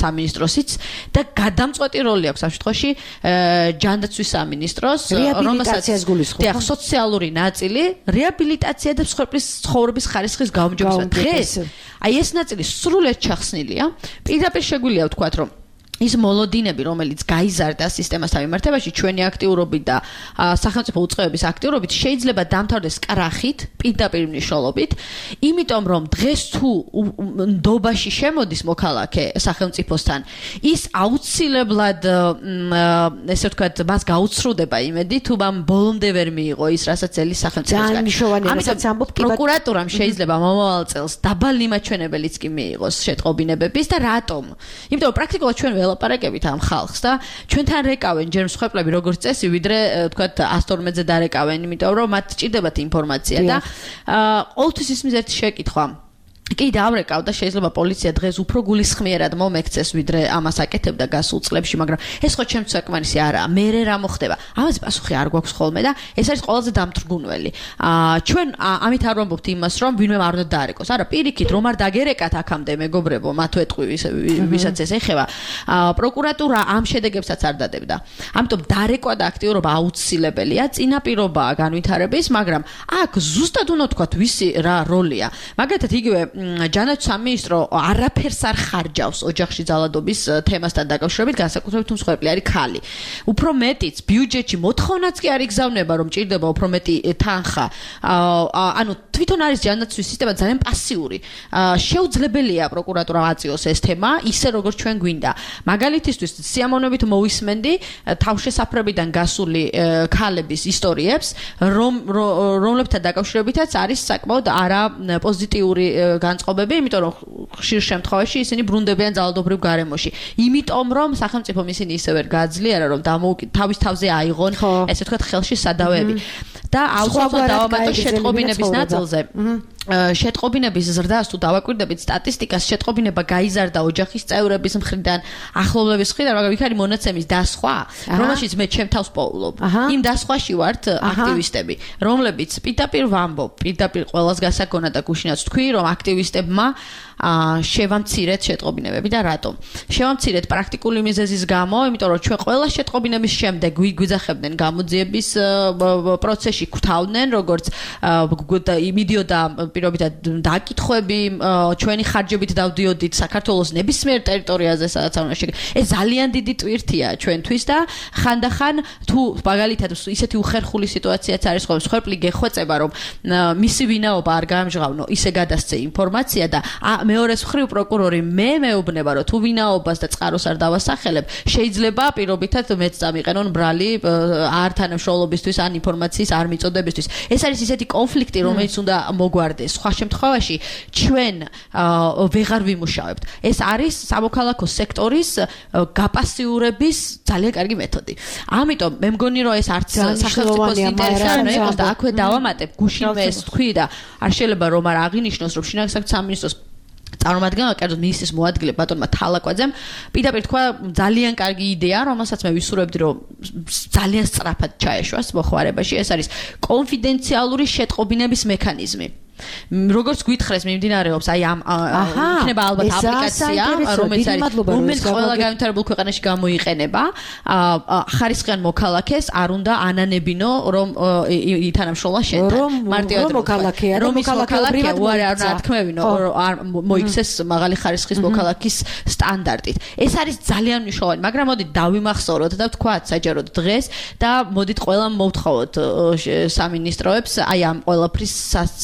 სამინისტროსიც და გადამწყვეტი როლი აქვს ამ შემთხვევაში ჯანდაცვის სამინისტროს, რომელსაც დიახ, სოციალური ნაწილი, რეაბილიტაცია და მსხვერპლის ცხოვრების ხარისხის გაუმჯობესება. დღეს აი ეს ნაწილი სრულად ჩახსნილია. პირდაპირ შეგვიძლია ვთქვათ, რომ ის მოლოდინები, რომელიც გაიზარდა სისტემასთან მიმართებაში, ჩვენი აქტიურობით და სახელმწიფო უწყებების აქტიურობით შეიძლება დამთავრდეს კრახით, პირდაპირ მნიშვნელობით, იმიტომ რომ დღეს თუ ნდობაში შემოდის მოქალაქე სახელმწიფოსთან, ის აუცილებლად ესე ვთქვათ, მას გაუცრუდება იმედი, თუ მან ბოლომდე ვერ მიიღო ის, რასაც ელის სახელმწიფოსგან. ამიტომ პროკურატურამ შეიძლება მომავალ წელს დაბალი მაჩვენებელიც კი მიიღოს შეტყობინებების და რატომ? იმიტომ რომ პრაქტიკულად ჩვენ ველაპარაკებით ამ ხალხს და ჩვენთან რეკავენ ჯერ მსხვერპლები როგორც წესი, ვიდრე თქვათ 112-ზე დარეკავენ, იმიტომ რომ მათ სჭირდებათ ინფორმაცია და ყოველთვის ის მიზეთი შეკითხვა. კი დავრეკავ და შეიძლება პოლიცია დღეს უფრო გულისხმიერად მომექცეს ვიდრე ამას აკეთებდა გასულ წლებში, მაგრამ ეს ხო ჩემთვის საკმარისი არაა. მერე რა მოხდება? ამაზე პასუხი არ გვაქვს ხოლმე და ეს არის ყველაზე დამთრგუნველი. ჩვენ ამით არ ვამბობთ იმას, რომ ვინმე არ უნდა დაარეკოს. არა, პირიქით, რომ არ დაგერეკათ აქამდე მეგობრებო, მათ ვეტყვი ვისაც ეს ეხება. პროკურატურა ამ შედეგებსაც არ დადებდა. ამიტომ დარეკვა და აქტიურობა აუცილებელია, წინაპირობაა განვითარების, მაგრამ აქ ზუსტად უნდა თქვათ ვისი რა როლია. მაგალითად იგივე ჯანდაცვის სამინისტრო არაფერს არ ხარჯავს ოჯახში ძალადობის თემასთან დაკავშირებით, განსაკუთრებით თუ მსხვერპლი არის ქალი. უფრო მეტიც ბიუჯეტში მოთხოვნაც კი არ იგზავნება, რომ ჭირდება უფრო მეტი თანხა. ანუ თვითონ არის ჯანდაცვის სისტემა ძალიან პასიური. შეუძლებელია პროკურატურა აწიოს ეს თემა, ისე როგორც ჩვენ გვინდა. მაგალითისთვის სიამოვნებით მოვისმენდი თავშესაფრებიდან გასული ქალების ისტორიებს, რომლებთან დაკავშირებითაც არის საკმაოდ არა პოზიტიური განწყობები, იმიტომ რომ ხშირ შემთხვევაში ისინი ბრუნდებიან ძალადობრივ გარემოში. იმიტომ რომ სახელმწიფომ ისინი ისე ვერ გააძლიერა, რომ თავის თავზე აიღონ, ესე ვთქვათ, ხელში სადავეები. და აუცილებლად დავამატო შეტყობინების ნაწილზე. შეტყობინების ზრდას თუ დავაკვირდებით სტატისტიკას, შეტყობინება გაიზარდა ოჯახის წევრების მხრიდან, ახლობლების მხრიდან, მაგრამ იქ არის მონაცემის დასხვა, რომელშიც მე ჩემ თავს პოულობ. იმ დასხვაში ვართ აქტივისტები, რომლებიც პირდაპირ ვამბობ, პირდაპირ ყველას გასაგონა და გუშინაც თქვი, რომ აქტივისტებმა შევამცირეთ შეტყობინებები და რატომ? შევამცირეთ პრაქტიკული მიზეზის გამო, იმიტომ რომ ჩვენ ყველა შეტყობინების შემდეგ გვიძახებდნენ გამოძიების პროცესში, გვთავდნენ, როგორც მიდიოდა პირობითად დაკითხვები, ჩვენი ხარჯებით დავდიოდით საქართველოს ნებისმიერ ტერიტორიაზე, სადაც არ უნდა შეგე. ეს ძალიან დიდი ტვირთია ჩვენთვის და ხანდახან თუ მაგალითად ისეთი უხერხული სიტუაციაც არის ხოლმე, მსხვერპლი გეხვეწება, რომ მისი ვინაობა არ გაამჟღავნო, ისე გადასცე ინფორმაცია და მეორეს მხრივ პროკურორი მეუბნება, რომ თუ ვინაობას და წყაროს არ დავასახელებ, შეიძლება პირობითად მეც წამიყენონ ბრალი არ თანამშრომლობისთვის ან ინფორმაციის არ მიწოდებისთვის. ეს არის ისეთი კონფლიქტი, რომელიც უნდა მოგვარდეს. სხვა შემთხვევაში ჩვენ ვეღარ ვიმუშავებთ. ეს არის სამოქალაქო სექტორის გაპასიურების ძალიან კარგი მეთოდი. ამიტომ მე მგონი რომ ეს არც სახელმწიფოს ინტერესი არ იყოს და აქვე დავამატებ გუშინ მე ეს თქვი და არ შეიძლება რომ არ აღინიშნოს რომ შინაგან საქმეთა სამინისტროს წარმომადგენელმა კერძოდ მინისტრის მოადგილე ბატონმა თალაკვაძემ პირდაპირ თქვა ძალიან კარგი იდეა, რომელსაც მე ვისურვებდი რომ ძალიან სწრაფად ჩაეშვას მოხმარებაში. ეს არის კონფიდენციალური შეტყობინების მექანიზმი. როგორც გითხრეს მიმდინარეობს აი ამ იქნება ალბათ აპლიკაცია რომელიც ყველა განვითარებულ ქვეყანაში გამოიყენება ხარისხიან მოქალაქეს არ უნდა ანანებინო რომ ითანამშრომლა შენთან მარტივად რომ მოქალაქეა უარი არ ნათქმევინო არ მოიქცეს მაღალი ხარისხის მოქალაქის სტანდარტით ეს არის ძალიან მნიშვნელოვანი მაგრამ მოდით დავიმახსოვროთ და ვთქვათ საჯაროდ დღეს და მოდით ყველამ მოვთხოვოთ სამინისტროებს აი ამ ყველაფრის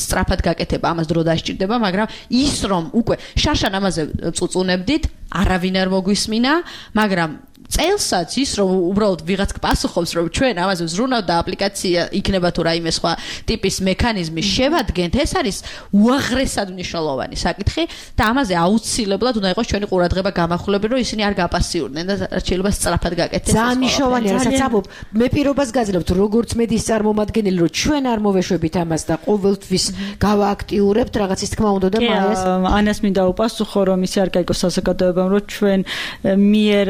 სწრაფად გაკეთება ამას დრო დასჭირდება მაგრამ ის რომ უკვე შარშან ამაზე წუწუნებდით არავინ არ მოგვისმინა მაგრამ წელსაც ის რომ უბრალოდ ვიღაც პასუხობს რომ ჩვენ ამაზე ზრუნავთ და აპლიკაცია იქნება თუ რაიმე სხვა ტიპის მექანიზმი შევადგენთ ეს არის უაღრესად მნიშვნელოვანი საკითხი და ამაზე აუცილებლად უნდა იყოს ჩვენი ყურადღება გამახვილები რომ ისინი არ გაპასიურდნენ და შეიძლება სწრაფად გაკეთდეს ძალიან მნიშვნელოვანია რასაც ამბობ მე პირობას გაძლევთ როგორც მედიის წარმომადგენელი რომ ჩვენ არ მოვეშვებით ამას და ყოველთვის გავააქტიურებთ რაღაცის თქმა უნდა და მაიას ანას მინდა უპასუხო რომ ისე არ გაიგოს საზოგადოებამ რომ ჩვენ მიერ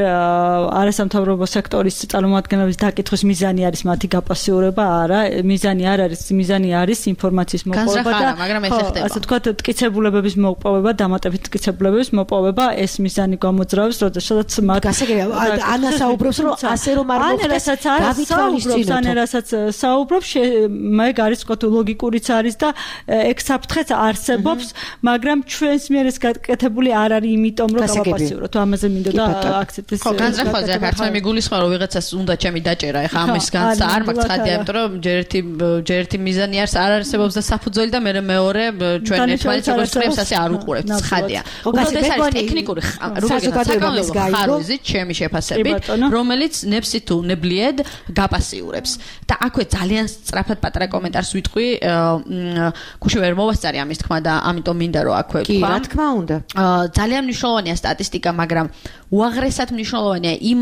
არასამთავრობო სექტორის წარმომადგენლების დაკითხვის მიზანი არის მათი გაპასიურება არა მიზანი არ არის მიზანი არის ინფორმაციის მოპოვება და ასე ვთქვათ ტკიცებულებების მოპოვება დამატებით ტკიცებულებების მოპოვება ეს მიზანი გამოძრავებს როდესაც მათ ანა საუბრობს რომ ასე რომ არ მოხდეს გავითვალისწინოთ რასაც საუბრობს მე გარისკოთ ლოგიკურიც არის და ექსაფრთხეც არსებობს მაგრამ ჩვენს მიერ ეს გაკეთებული არ არის იმიტომ რომ გავაპასიუროთ ამაზე მინდოდა აქცენტის ხოზე ქართული მიგულისხმარ რომ ვიღაცას უნდა ჩემი დაჭერა ეხა ამის განცა არ მაქვს ცხადია იმიტომ რომ ჯერ ერთი მიზანი არ არსებობს და საფუძველი და მეორე ჩვენ ერთმანეთს როგორც წრებს ასე არ უყურებთ ცხადია უბრალოდ ეს არის ტექნიკური საზოგადოების ხარვეზით ჩემი შეფასებით რომელიც ნებსი თუ ნებლიედ გაპასიურებს და აქვე ძალიან სწრაფად პატარა კომენტარს ვიტყვი გუშინ ვერ მოვასწარი ამის თქმა და ამიტომ მინდა რომ აქვე კი რა თქმა უნდა ძალიან მნიშვნელოვანია სტატისტიკა მაგრამ უაღრესად მნიშვნელოვანია იმ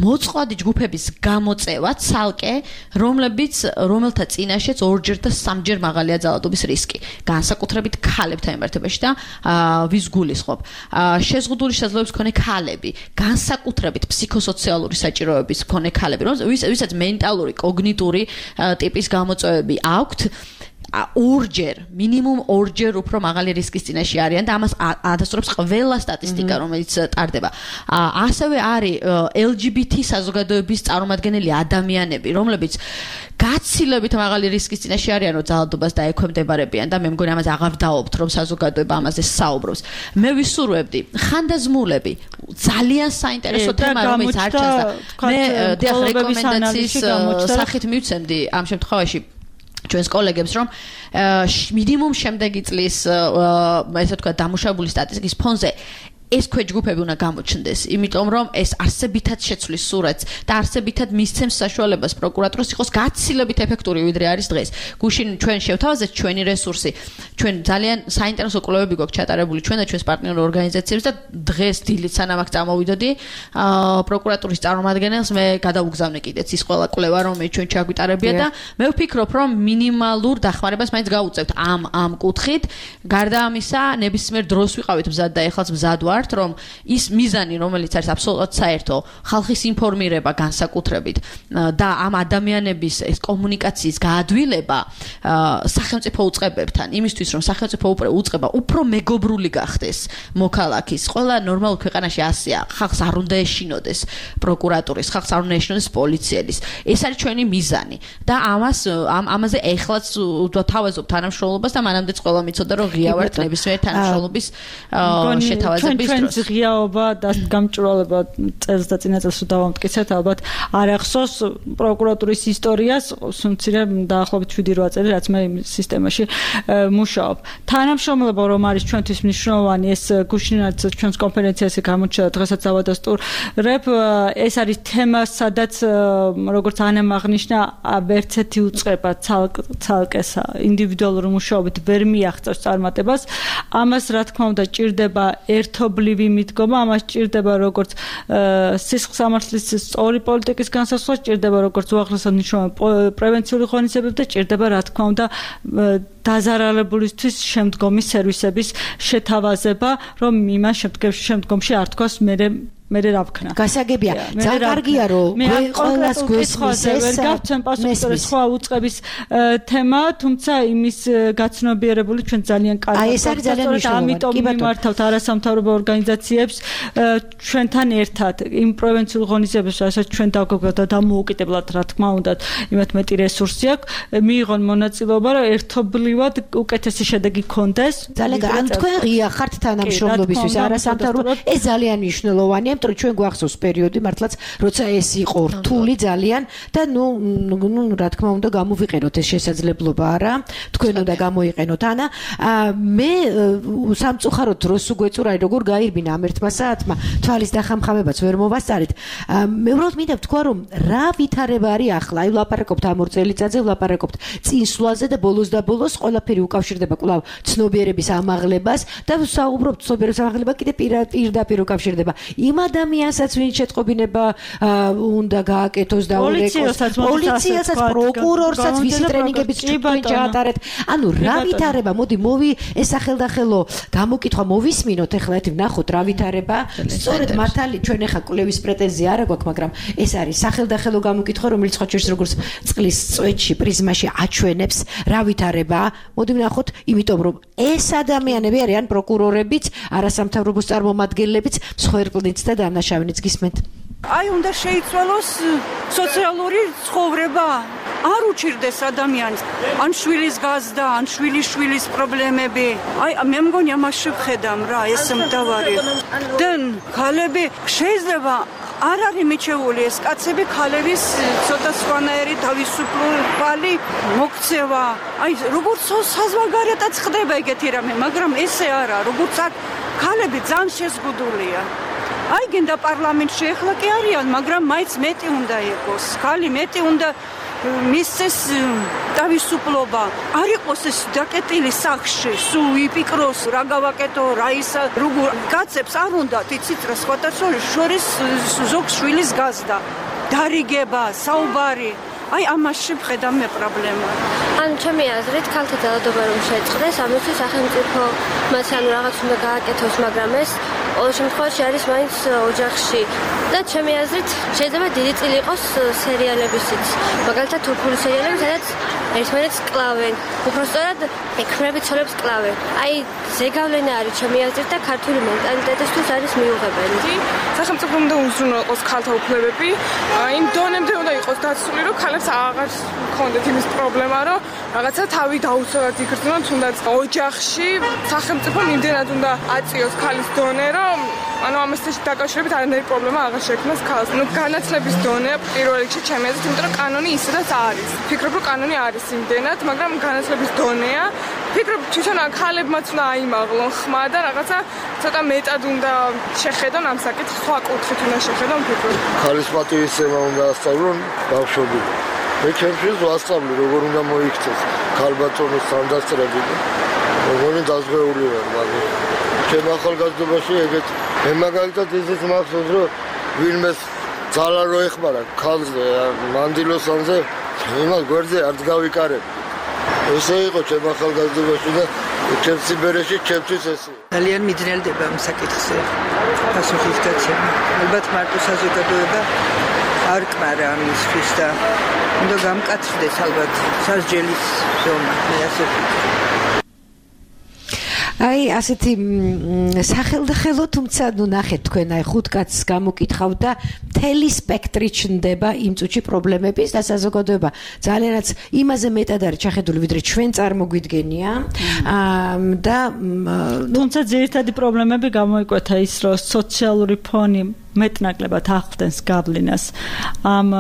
მოწყვლადი ჯგუფების გამოწევა ცალკე რომელთა წინაშეც ორჯერ და სამჯერ მაღალია ძალადობის რისკი განსაკუთრებით ქალებთან მიმართებაში და ვის გულისხმობ შეზღუდული შესაძლებლობის მქონე ქალები განსაკუთრებით ფსიქოსოციალური საჭიროების მქონე ქალები ვისაც მენტალური კოგნიტური ტიპის გამოწვევები აქვთ ორჯერ მინიმუმ ორჯერ უფრო მაღალი რისკის წინაშე არიან და ამას ადასტურებს ყველა სტატისტიკა რომელიც ტარდება ასევე არის LGBT საზოგადოების წარმომადგენელი ადამიანები რომლებიც გაცილებით მაღალი რისკის წინაშე არიან რომ ძალადობას დაექვემდებარებიან და მე მგონი ამაზე აღარ დავობთ რომ საზოგადოება ამაზე საუბრობს მე ვისურვებდი ხანდაზმულები ძალიან საინტერესო თემა რომელიც არ ჩანს და მე რეკომენდაციის სახით მივცემდი ამ შემთხვევაში ჩვენს კოლეგებს რომ მინიმუმ შემდეგი წლის ესე ვთქვათ დამუშავებული სტატისტიკის ფონზე ეს ქვეჯგუფები უნდა გამოჩნდეს, იმიტომ რომ ეს არსებითად შეცვლის სურათს და არსებითად მისცემს საშუალებას პროკურატურას იყოს გაცილებით ეფექტური ვიდრე არის დღეს. გუშინ ჩვენ შევთავაზეთ ჩვენი რესურსი, ჩვენ ძალიან საინტერესო კვლევები გვაქვს ჩატარებული ჩვენ და ჩვენს პარტნიორ ორგანიზაციებს და დღეს დილით სანამ აქ წამოვიდოდი, პროკურატურის წარმომადგენელს მე გადავუგზავნე კიდეც ის ყველა კვლევა რომელიც ჩვენ ჩაგვიტარებია და მე ვფიქრობ რომ მინიმალურ დახმარებას მაინც გავუწევთ ამ კუთხით. გარდა ამისა, ნებისმიერ დროს ვიყავით მზად და ეხლაც მზად ვარ ვართ, რომ ის მიზანი, რომელიც არის აბსოლუტურად საერთო, ხალხის ინფორმირება განსაკუთრებით და ამ ადამიანების ეს კომუნიკაციის გაადვილება სახელმწიფო უწყებებთან, იმისთვის, რომ სახელმწიფო უწყება უფრო მეგობრული გახდეს მოქალაქის. ყველა ნორმალურ ქვეყანაში ასეა, ხალხს არ უნდა ეშინოდეს პროკურატურის, ხალხს არ უნდა ეშინოდეს პოლიციელის. ეს არის ჩვენი მიზანი და ამაზე ეხლაც თავაზობ თანამშრომლობას და მანამდეც ყველა მიცოდა, რომ ღია ვართ ნებისმიერ თანამშრომლობის შეთავაზების დროს. ჩვენს ღიაობა და გამჭრვალება წელს და წინა წელს დავამტკიცეთ, ალბათ არ ახსოვს პროკურატურის ისტორიას, სუნცირე დაახლოებით 7-8 წელი, რაც მე სისტემაში მუშაობ. თანამშრომლობა რომ არის ჩვენთვის მნიშვნელოვანი, ეს გუშინაც ჩვენს კონფერენციაზე გამოჩნდა დღესაც დავადასტურებ, ეს არის თემა, სადაც როგორც ანამ აღნიშნა, ერთერთი უწყება ცალკეს ინდივიდუალურ მუშაობით ვერ მიაღწევს წარმატებას. ამას რა თქმა უნდა ჭირდება ერთობლივი მიდგომა, ამას ჭირდება როგორც სისხლის სამართლის სწორი პოლიტიკის განსაზღვრა, ჭირდება როგორც უახლესად მნიშვნელოვანი პრევენციული ღონისძიებები და ჭირდება რა თქმა უნდა დაზარალებულისთვის შემდგომი სერვისების შეთავაზება, რომ იმას შემდგომში არ თქვას მე რა ვქნა. გასაგებია, ძალიან კარგია რომ ყველას გვესმის ეს ვერ გავცემ პასუხს სხვა უწყების თემა, თუმცა იმის გაცნობიერებული ჩვენ ძალიან კარგად. ეს არის ძალიან მნიშვნელოვანი. ამიტომ მიმართავთ არასამთავრობო ორგანიზაციებს ჩვენთან ერთად იმ პრევენციულ ღონისძიებებს, რასაც ჩვენ დავგეგმავთ და დამოუკიდებლად რა თქმა უნდა, იმათ მეტი რესურსი აქვს, მიიღონ მონაწილეობა, რომ ერთობლივად უკეთესი შედეგი გქონდეს. ძალიან კარგი. ან თქვენ ღია ხართ თანამშრომლობისთვის არასამთავრობო, ეს ძალიან მნიშვნელოვანია. ჩვენ გვახსოვს პერიოდი მართლაც როცა ეს იყო რთული ძალიან და ნუ რა თქმა უნდა გამოვიყენოთ ეს შესაძლებლობა არა თქვენ უნდა გამოიყენოთ ანა მე სამწუხაროდ დროს უგვეწურა როგორ გაირბინა ამ ერთმა საათმა თვალის დახამხამებაც ვერ მოვასწარეთ მე უბრალოდ მინდა ვთქვა რომ რა ვითარება არის ახლა აი ვლაპარაკობთ ამ 2 წელიწადზე ვლაპარაკობთ წინსვლაზე და ბოლოს და ბოლოს ყველაფერი უკავშირდება კვლავ ცნობიერების ამაღლებას და საუბრობთ ცნობიერების ამაღლება კიდე პირდაპირ უკავშირდება იმ ადამიანსაც ვინც შეტყობინება უნდა გააკეთოს და პოლიციასაც პროკურორსაც ვისი ტრენინგებიც ჩვენ ჩაატარეთ ანუ რა ვითარება მოდი ეს სახელდახელო გამოკითხვა მოვისმინოთ ახლა ერთი ვნახოთ რა ვითარება სწორედ მართალი ჩვენ ახლა კვლევის პრეტენზია არ აქვს მაგრამ ეს არის სახელდახელო გამოკითხვა რომელიც ხო ჩვენს როგორც წყლის წვეთში პრიზმაში აჩვენებს რა ვითარება მოდი ვნახოთ იმიტომ რომ ეს ადამიანები არიან პროკურორებიც არასამთავრობო წარმომადგენლებიც მსხვერპლიც და დანაშავნიც გისმენთ აი უნდა შეიცვალოს სოციალური ცხოვრება არ უჩირდეს ადამიანს ან შვილის გაზდა ან შვილის პრობლემები აი მე მგონი ამაში ვხედავ რა ეს მდავარი და ხალები შეიძლება არ არის მიჩეული ეს კაცები ხალების ცოტა სხვანაირი თავისუფლება მოქცევა აი როგორც საზღვარგარეთაც ხდება ეგეთი რამე მაგრამ ესე არა როგორც აქ ხალები ძალიან შეზღუდულია აი გინდა პარლამენტში ახლა კი არიან მაგრამ მაინც მეტი უნდა იყოს ხალი მეტი უნდა მისცეს თავისუფლება არ იყოს ეს დაკეტილი სახში სულ ვიპიკროს რა გავაკეთო რა ისა როგორ კაცებს არ უნდა იცით რა სხვათა შორის ზოგ შვილის გაზდა დარიგება საუბარი აი ამაში ვხედავ მე პრობლემა ან ჩემი აზრით ქალთა ძალადობა რომ შეწყდეს ამისთვის სახელმწიფო მას ანუ რაღაც უნდა გააკეთოს მაგრამ ეს ყოველ შემთხვევაში არის მაინც ოჯახში და ჩემი აზრით შეიძლება დიდი წილი იყოს სერიალებისიც მაგალითად თურქული სერიალები სადაც ერთმანეთს კლავენ უბრალოდ ექმნები ცოლებს კლავენ აი ზეგავლენა არის ჩემი აზრით და ქართული მენტალიტეტისთვის არის მიუღებელი სახელმწიფო უნდა უზრუნველყოს ქალთა უფლებები იმ დონემდე უნდა იყოს დაცული რომ ქალებს აღარ ჰქონდეთ იმის პრობლემა რომ რაღაცა თავი დაუცველად იგრძნონ თუნდაც ოჯახში სახელმწიფო იმდენად უნდა აწიოს ქალის დონე რომ ანუ ამასთან დაკავშირებით არანაირი პრობლემა აღარ შექმნას ქალს. ნუ განათლების დონე პირველ რიგში ჩემი აზრით, იმიტომ რომ კანონი ისედაც არის. ფიქრობ რომ კანონი არის იმდენად, მაგრამ განათლების დონეა. ფიქრობ თვითონ ქალებმაც უნდა აიმაღლონ ხმა და რაღაცა ცოტა მეტად უნდა შეხედონ ამ საკითხს, სხვა კუთხით უნდა შეხედონ ფიქრობ. ქალის პატივისცემა უნდა ასწავლონ ბავშვები. მე ჩემთვის ვასწავლი როგორ უნდა მოიქცეს ქალბატონის თანდასწრები და როგორ დაზღვეული ვარ მაგრამ ჩემ ახალგაზრდობაში ეგეთ მე მაგალითად ისიც მახსოვს რომ ვინმეს ძალა რო ეხმარა ქალზე მანდილოსანზე იმას გვერდზე არ გავიკარებ ესე იყო ჩემ ახალგაზრდობაში და ჩემს სიმღერაში ჩემთვის ესე. ძალიან მიძნელდება ამ საკითხზე. პასუხის გაცემა. ალბათ მარტო საზოგადოება არ კმარა ამისთვის და უნდა გამკაცრდეს ალბათ სასჯელის ზონა, მე ასე ვფიქრობ. აი ასეთი სახელდახელო თუმცა ნუ ნახეთ თქვენ აი 5 კაცს გამოკითხავ და მთელი სპექტრი ჩნდება იმ წუთში პრობლემების და საზოგადოება ძალიანაც იმაზე მეტად არის ჩახედული ვიდრე ჩვენ წარმოგვიდგენია და თუმცა ძირითადი პრობლემები გამოიკვეთა ის რომ სოციალური ფონი მეტნაკლებად ახლდენს გავლენას ამ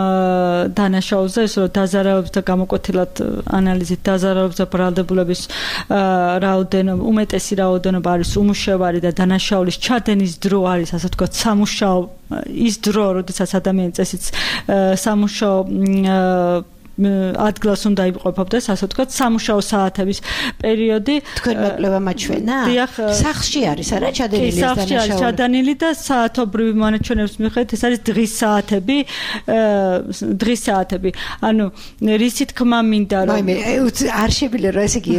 დანაშაულზე ის რომ დაზარალების და გამოკვეთილად ანალიზით დაზარალების და ბრალდებულების რაოდენობა უმეტესი რაოდენობა არის უმუშევარი და დანაშაულის ჩადენის დრო არის ასე ვთქვათ სამუშაო ის დრო როდესაც ადამიანი წესით სამუშაო ადგილას უნდა იმყოფებდეს ასე ვთქვათ სამუშაო საათების პერიოდი თქვენ მოკლება მაჩვენა სახლში არის არა ჩადენილი ეს დანაშაული სახლში არის ჩადენილი და საათობრივი მონაჩვენების მიხედვით ეს არის დღის საათები ანუ რისი თქმა მინდა რომ არ შევიდე რა ესე იგი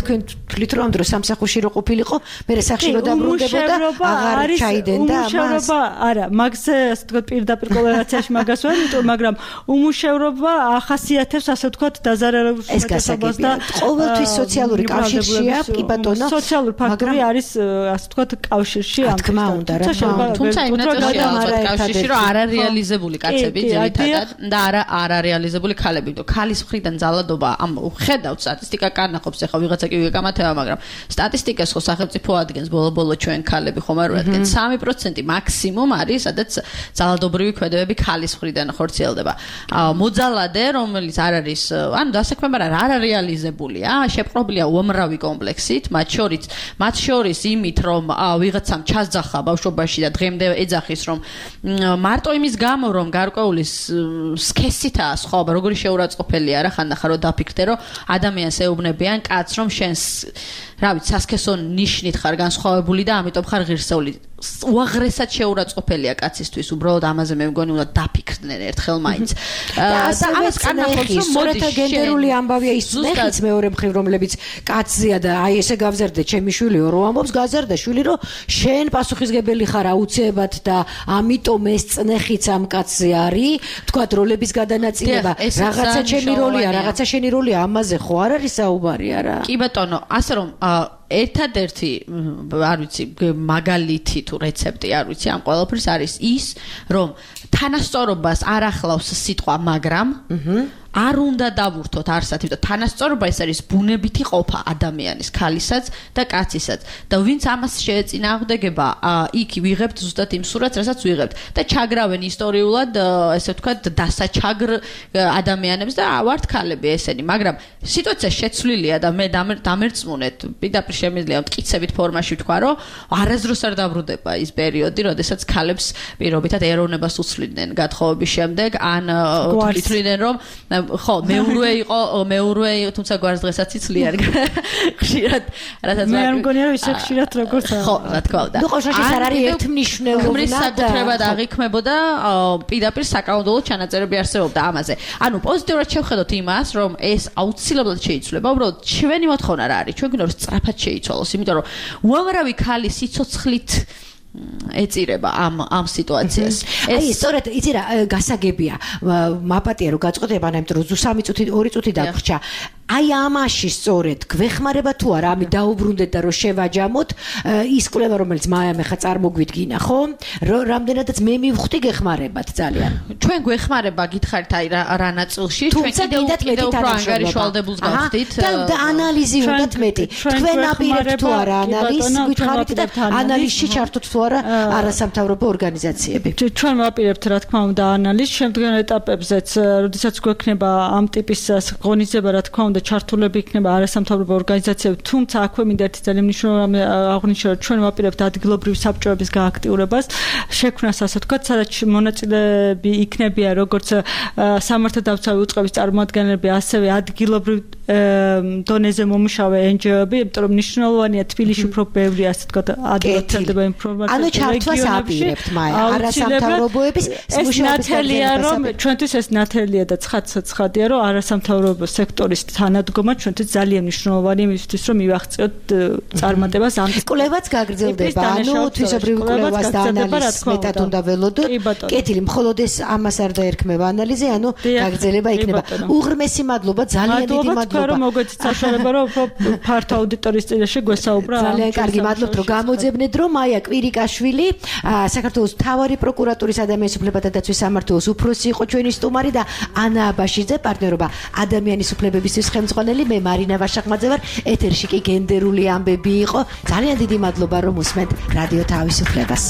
თქვენ თვლით რომ ამ დროს სამსახურში რო ყოფილიყო მე სახლში რო დაბრუნდებოდა აღარ ჩაიდენდა ამას უმუშევრობა არა მაგზე ასე ვთქვათ პირდაპირ კორელაციაში მაგას ვერ იმიტომ მაგრამ უმუშევრობა ახასიათებს ასე ვთქვათ დაზარალების უმეტესობას და ყოველთვის სოციალური კავშირშია კი ბატონო სოციალური ფაქტორი არის ასე ვთქვათ კავშირში ამ თქმა უნდა რა თუმცა იმნაირადია ალბათ კავშირში რომ არარეალიზებული კაცები ძირითადად და არარეალიზებული ქალები იმიტომ ქალის მხრიდან ძალადობა ამ ხედავთ სტატისტიკა კანახობს ახლა ვიღაცა კი ვიკამათება მაგრამ სტატისტიკას ხო სახელმწიფო ადგენს ბოლო ჩვენ ქალები ხომ არ ვადგენთ 3% მაქსიმუმ არის სადაც ძალადობრივი ქმედებები ქალის მხრიდან ხორციელდება მოძალადე რომელიც არ არის ანუ დასაქმება რა არარეალიზებულია შეპყრობილია უამრავი კომპლექსით მათ შორის იმით რომ ვიღაცამ ჩასძახა ბავშვობაში და დღემდე ეძახის რომ მარტო იმის გამო რომ გარკვეული სქესითაა სხვაობა როგორი შეურაცხყოფელია რა ხანდახან რომ დაფიქრდე რომ ადამიანს ეუბნებიან კაცს რომ შენს რა ვიცი სასქესო ნიშნით ხარ განსხვავებული და ამიტომ ხარ ღირსეული უაღრესად შეურაცხყოფელია კაცისთვის უბრალოდ ამაზე მე მგონი უნდა დაფიქრდნენ ერთხელ მაინც და ამას კანახობს რომ მოდით გენდერული ამბავია ის ნეხიც მეორე მხრივ რომლებიც კაცზეა და აი ესე გავზერდე ჩემი შვილი რო ამბობს გაზარდა შვილი რომ შენ პასუხისგებელი ხარ აუცილებლად და ამიტომ ეს წნეხიც ამ კაცზე არის თქვა როლების გადანაწილება რაღაცა ჩემი როლია რაღაცა შენი როლია ამაზე ხო არ არის საუბარი არა კი ბატონო ასე რომ ერთადერთი არ ვიცი მაგალითი თუ რეცეპტი არ ვიცი ამ ყველაფრის არის ის რომ თანასწორობას არ ახლავს სიტყვა მაგრამ არ უნდა დავურთოთ არსად, იმიტომ თანასწორობა ეს არის ბუნებითი ყოფა ადამიანის, ქალისაც და კაცისაც. და ვინც ამას შეეწინააღმდეგება, იქ ვიღებთ ზუსტად იმ სურათს, რასაც ვიღებთ და ჩაგრავენ ისტორიულად, ესე ვთქვათ, დასაჩაგრ ადამიანებს და ვართ ქალები ესენი, მაგრამ სიტუაცია შეცვლილია და მე დამერწმუნეთ, პირდაპირ შემიძლია მტკიცებით ფორმაში ვთქვა, რომ არასდროს არ დაბრუნდება ის პერიოდი, როდესაც ქალებს პირობითად ეროვნებას უცვლიდნენ გათხოვების შემდეგ, ან თვითონ რომ ხო, მეურვე იყო, თუმცა გვარს დღესაც იცლიან. ხშირად, რასაც მე არ მგონია რომ ისე ხშირად როგორც ხო, რა თქმა უნდა. ნუ ყოველთვის არ არის ერთმნიშვნელოვანი და საკუთრებად აღიქმებოდა პირდაპირ საკანონმდებლო ჩანაწერები არსებობდა ამაზე. ანუ პოზიტიურად შევხედოთ იმას, რომ ეს აუცილებლად შეიცვლება, უბრალოდ ჩვენი მოთხოვნა რა არის? ჩვენ გვინდა რომ სწრაფად შეიცვალოს, იმიტომ რომ უამრავი ქალი სიცოცხლით ეწირება ამ სიტუაციას. აი, სწორედ იცი რა, გასაგებია. მაპატია რომ გაწყვეტება, იმიტომ რომ 3 წუთი 2 წუთი დაგვრჩა. აი ამაში სწორედ გვეხმარება თუ არა ამი დაუბრუნდეთ და რომ შევაჯამოთ ის კვლევა რომელიც მაიამ ახლა წარმოგვიდგინა ხო რამდენადაც მე მივხვდი გეხმარებათ ძალიან ჩვენ გვეხმარება გითხარით აი რა ნაწილში ჩვენ კიდევ უფრო ანგარიშვალდებულს გავხდით და ანალიზი უნდათ მეტი თქვენ აპირებთ თუ არა ანალიზს გითხარით და ანალიზში ჩართოთ თუ არა არასამთავრობო ორგანიზაციები ჩვენ ვაპირებთ რა თქმა უნდა ანალიზს შემდგომ ეტაპებზეც როდესაც გვექნება ამ ტიპის ღონისძიება რა თქმა უნდა ჩართულები იქნება არასამთავრობო ორგანიზაციები, თუმცა აქვე მინდა ერთი ძალიან მნიშვნელოვანი აღნიშნო, რომ ჩვენ ვაპირებთ ადგილობრივი საბჭოების გააქტიურებას, შექმნას ასე ვთქვათ, სადაც მონაწილეები იქნებიან როგორც სამართალდამცავი უწყების წარმომადგენლები, ასევე ადგილობრივ დონეზე მომუშავე NGO-ები, იმიტომ რომ მნიშვნელოვანია თბილისში უფრო ბევრი ასე თქვა ადვილად ინფორმაცია. ანუ ჩართვას აპირებთ არასამთავრობოების მუშაობის რომ ჩვენთვის ეს ნათელია და ცხადია რომ არასამთავრობო სექტორის თანადგომა ჩვენთვის ძალიან მნიშვნელოვანია იმისთვის რომ მივახციოთ წარმატებას ამ კვლევაც გაგრძელდება ანუ თვისობრივი კვლევას და ანალიზს მეტად უნდა ველოდოთ კეთილი მხოლოდ ეს ამას არ დაერქმევა ანალიზი ანუ გაგრძელება იქნება უღრმესი მადლობა ძალიან დიდი მადლობა რომ მოგეცით საშუალება რომ ფართო აუდიტორიის წინაშე გვესაუბრა ძალიან კარგი მადლობთ რომ გამოძებნეთ რომ მაია კვირიკაშვილი საქართველოს მთავარი პროკურატურის ადამიანის უფლებათა დაცვის სამმართველოს უფროსი იყო ჩვენი სტუმარი და ანა აბაშიძე პარტნიორობა ადამიანის უფლებებისთვის ხელმძღვანელი მე მარინა ვაშახმაძე ვარ ეთერში კი გენდერული ამბები იყო ძალიან დიდი მადლობა რომ უსმენთ რადიო თავისუფლებას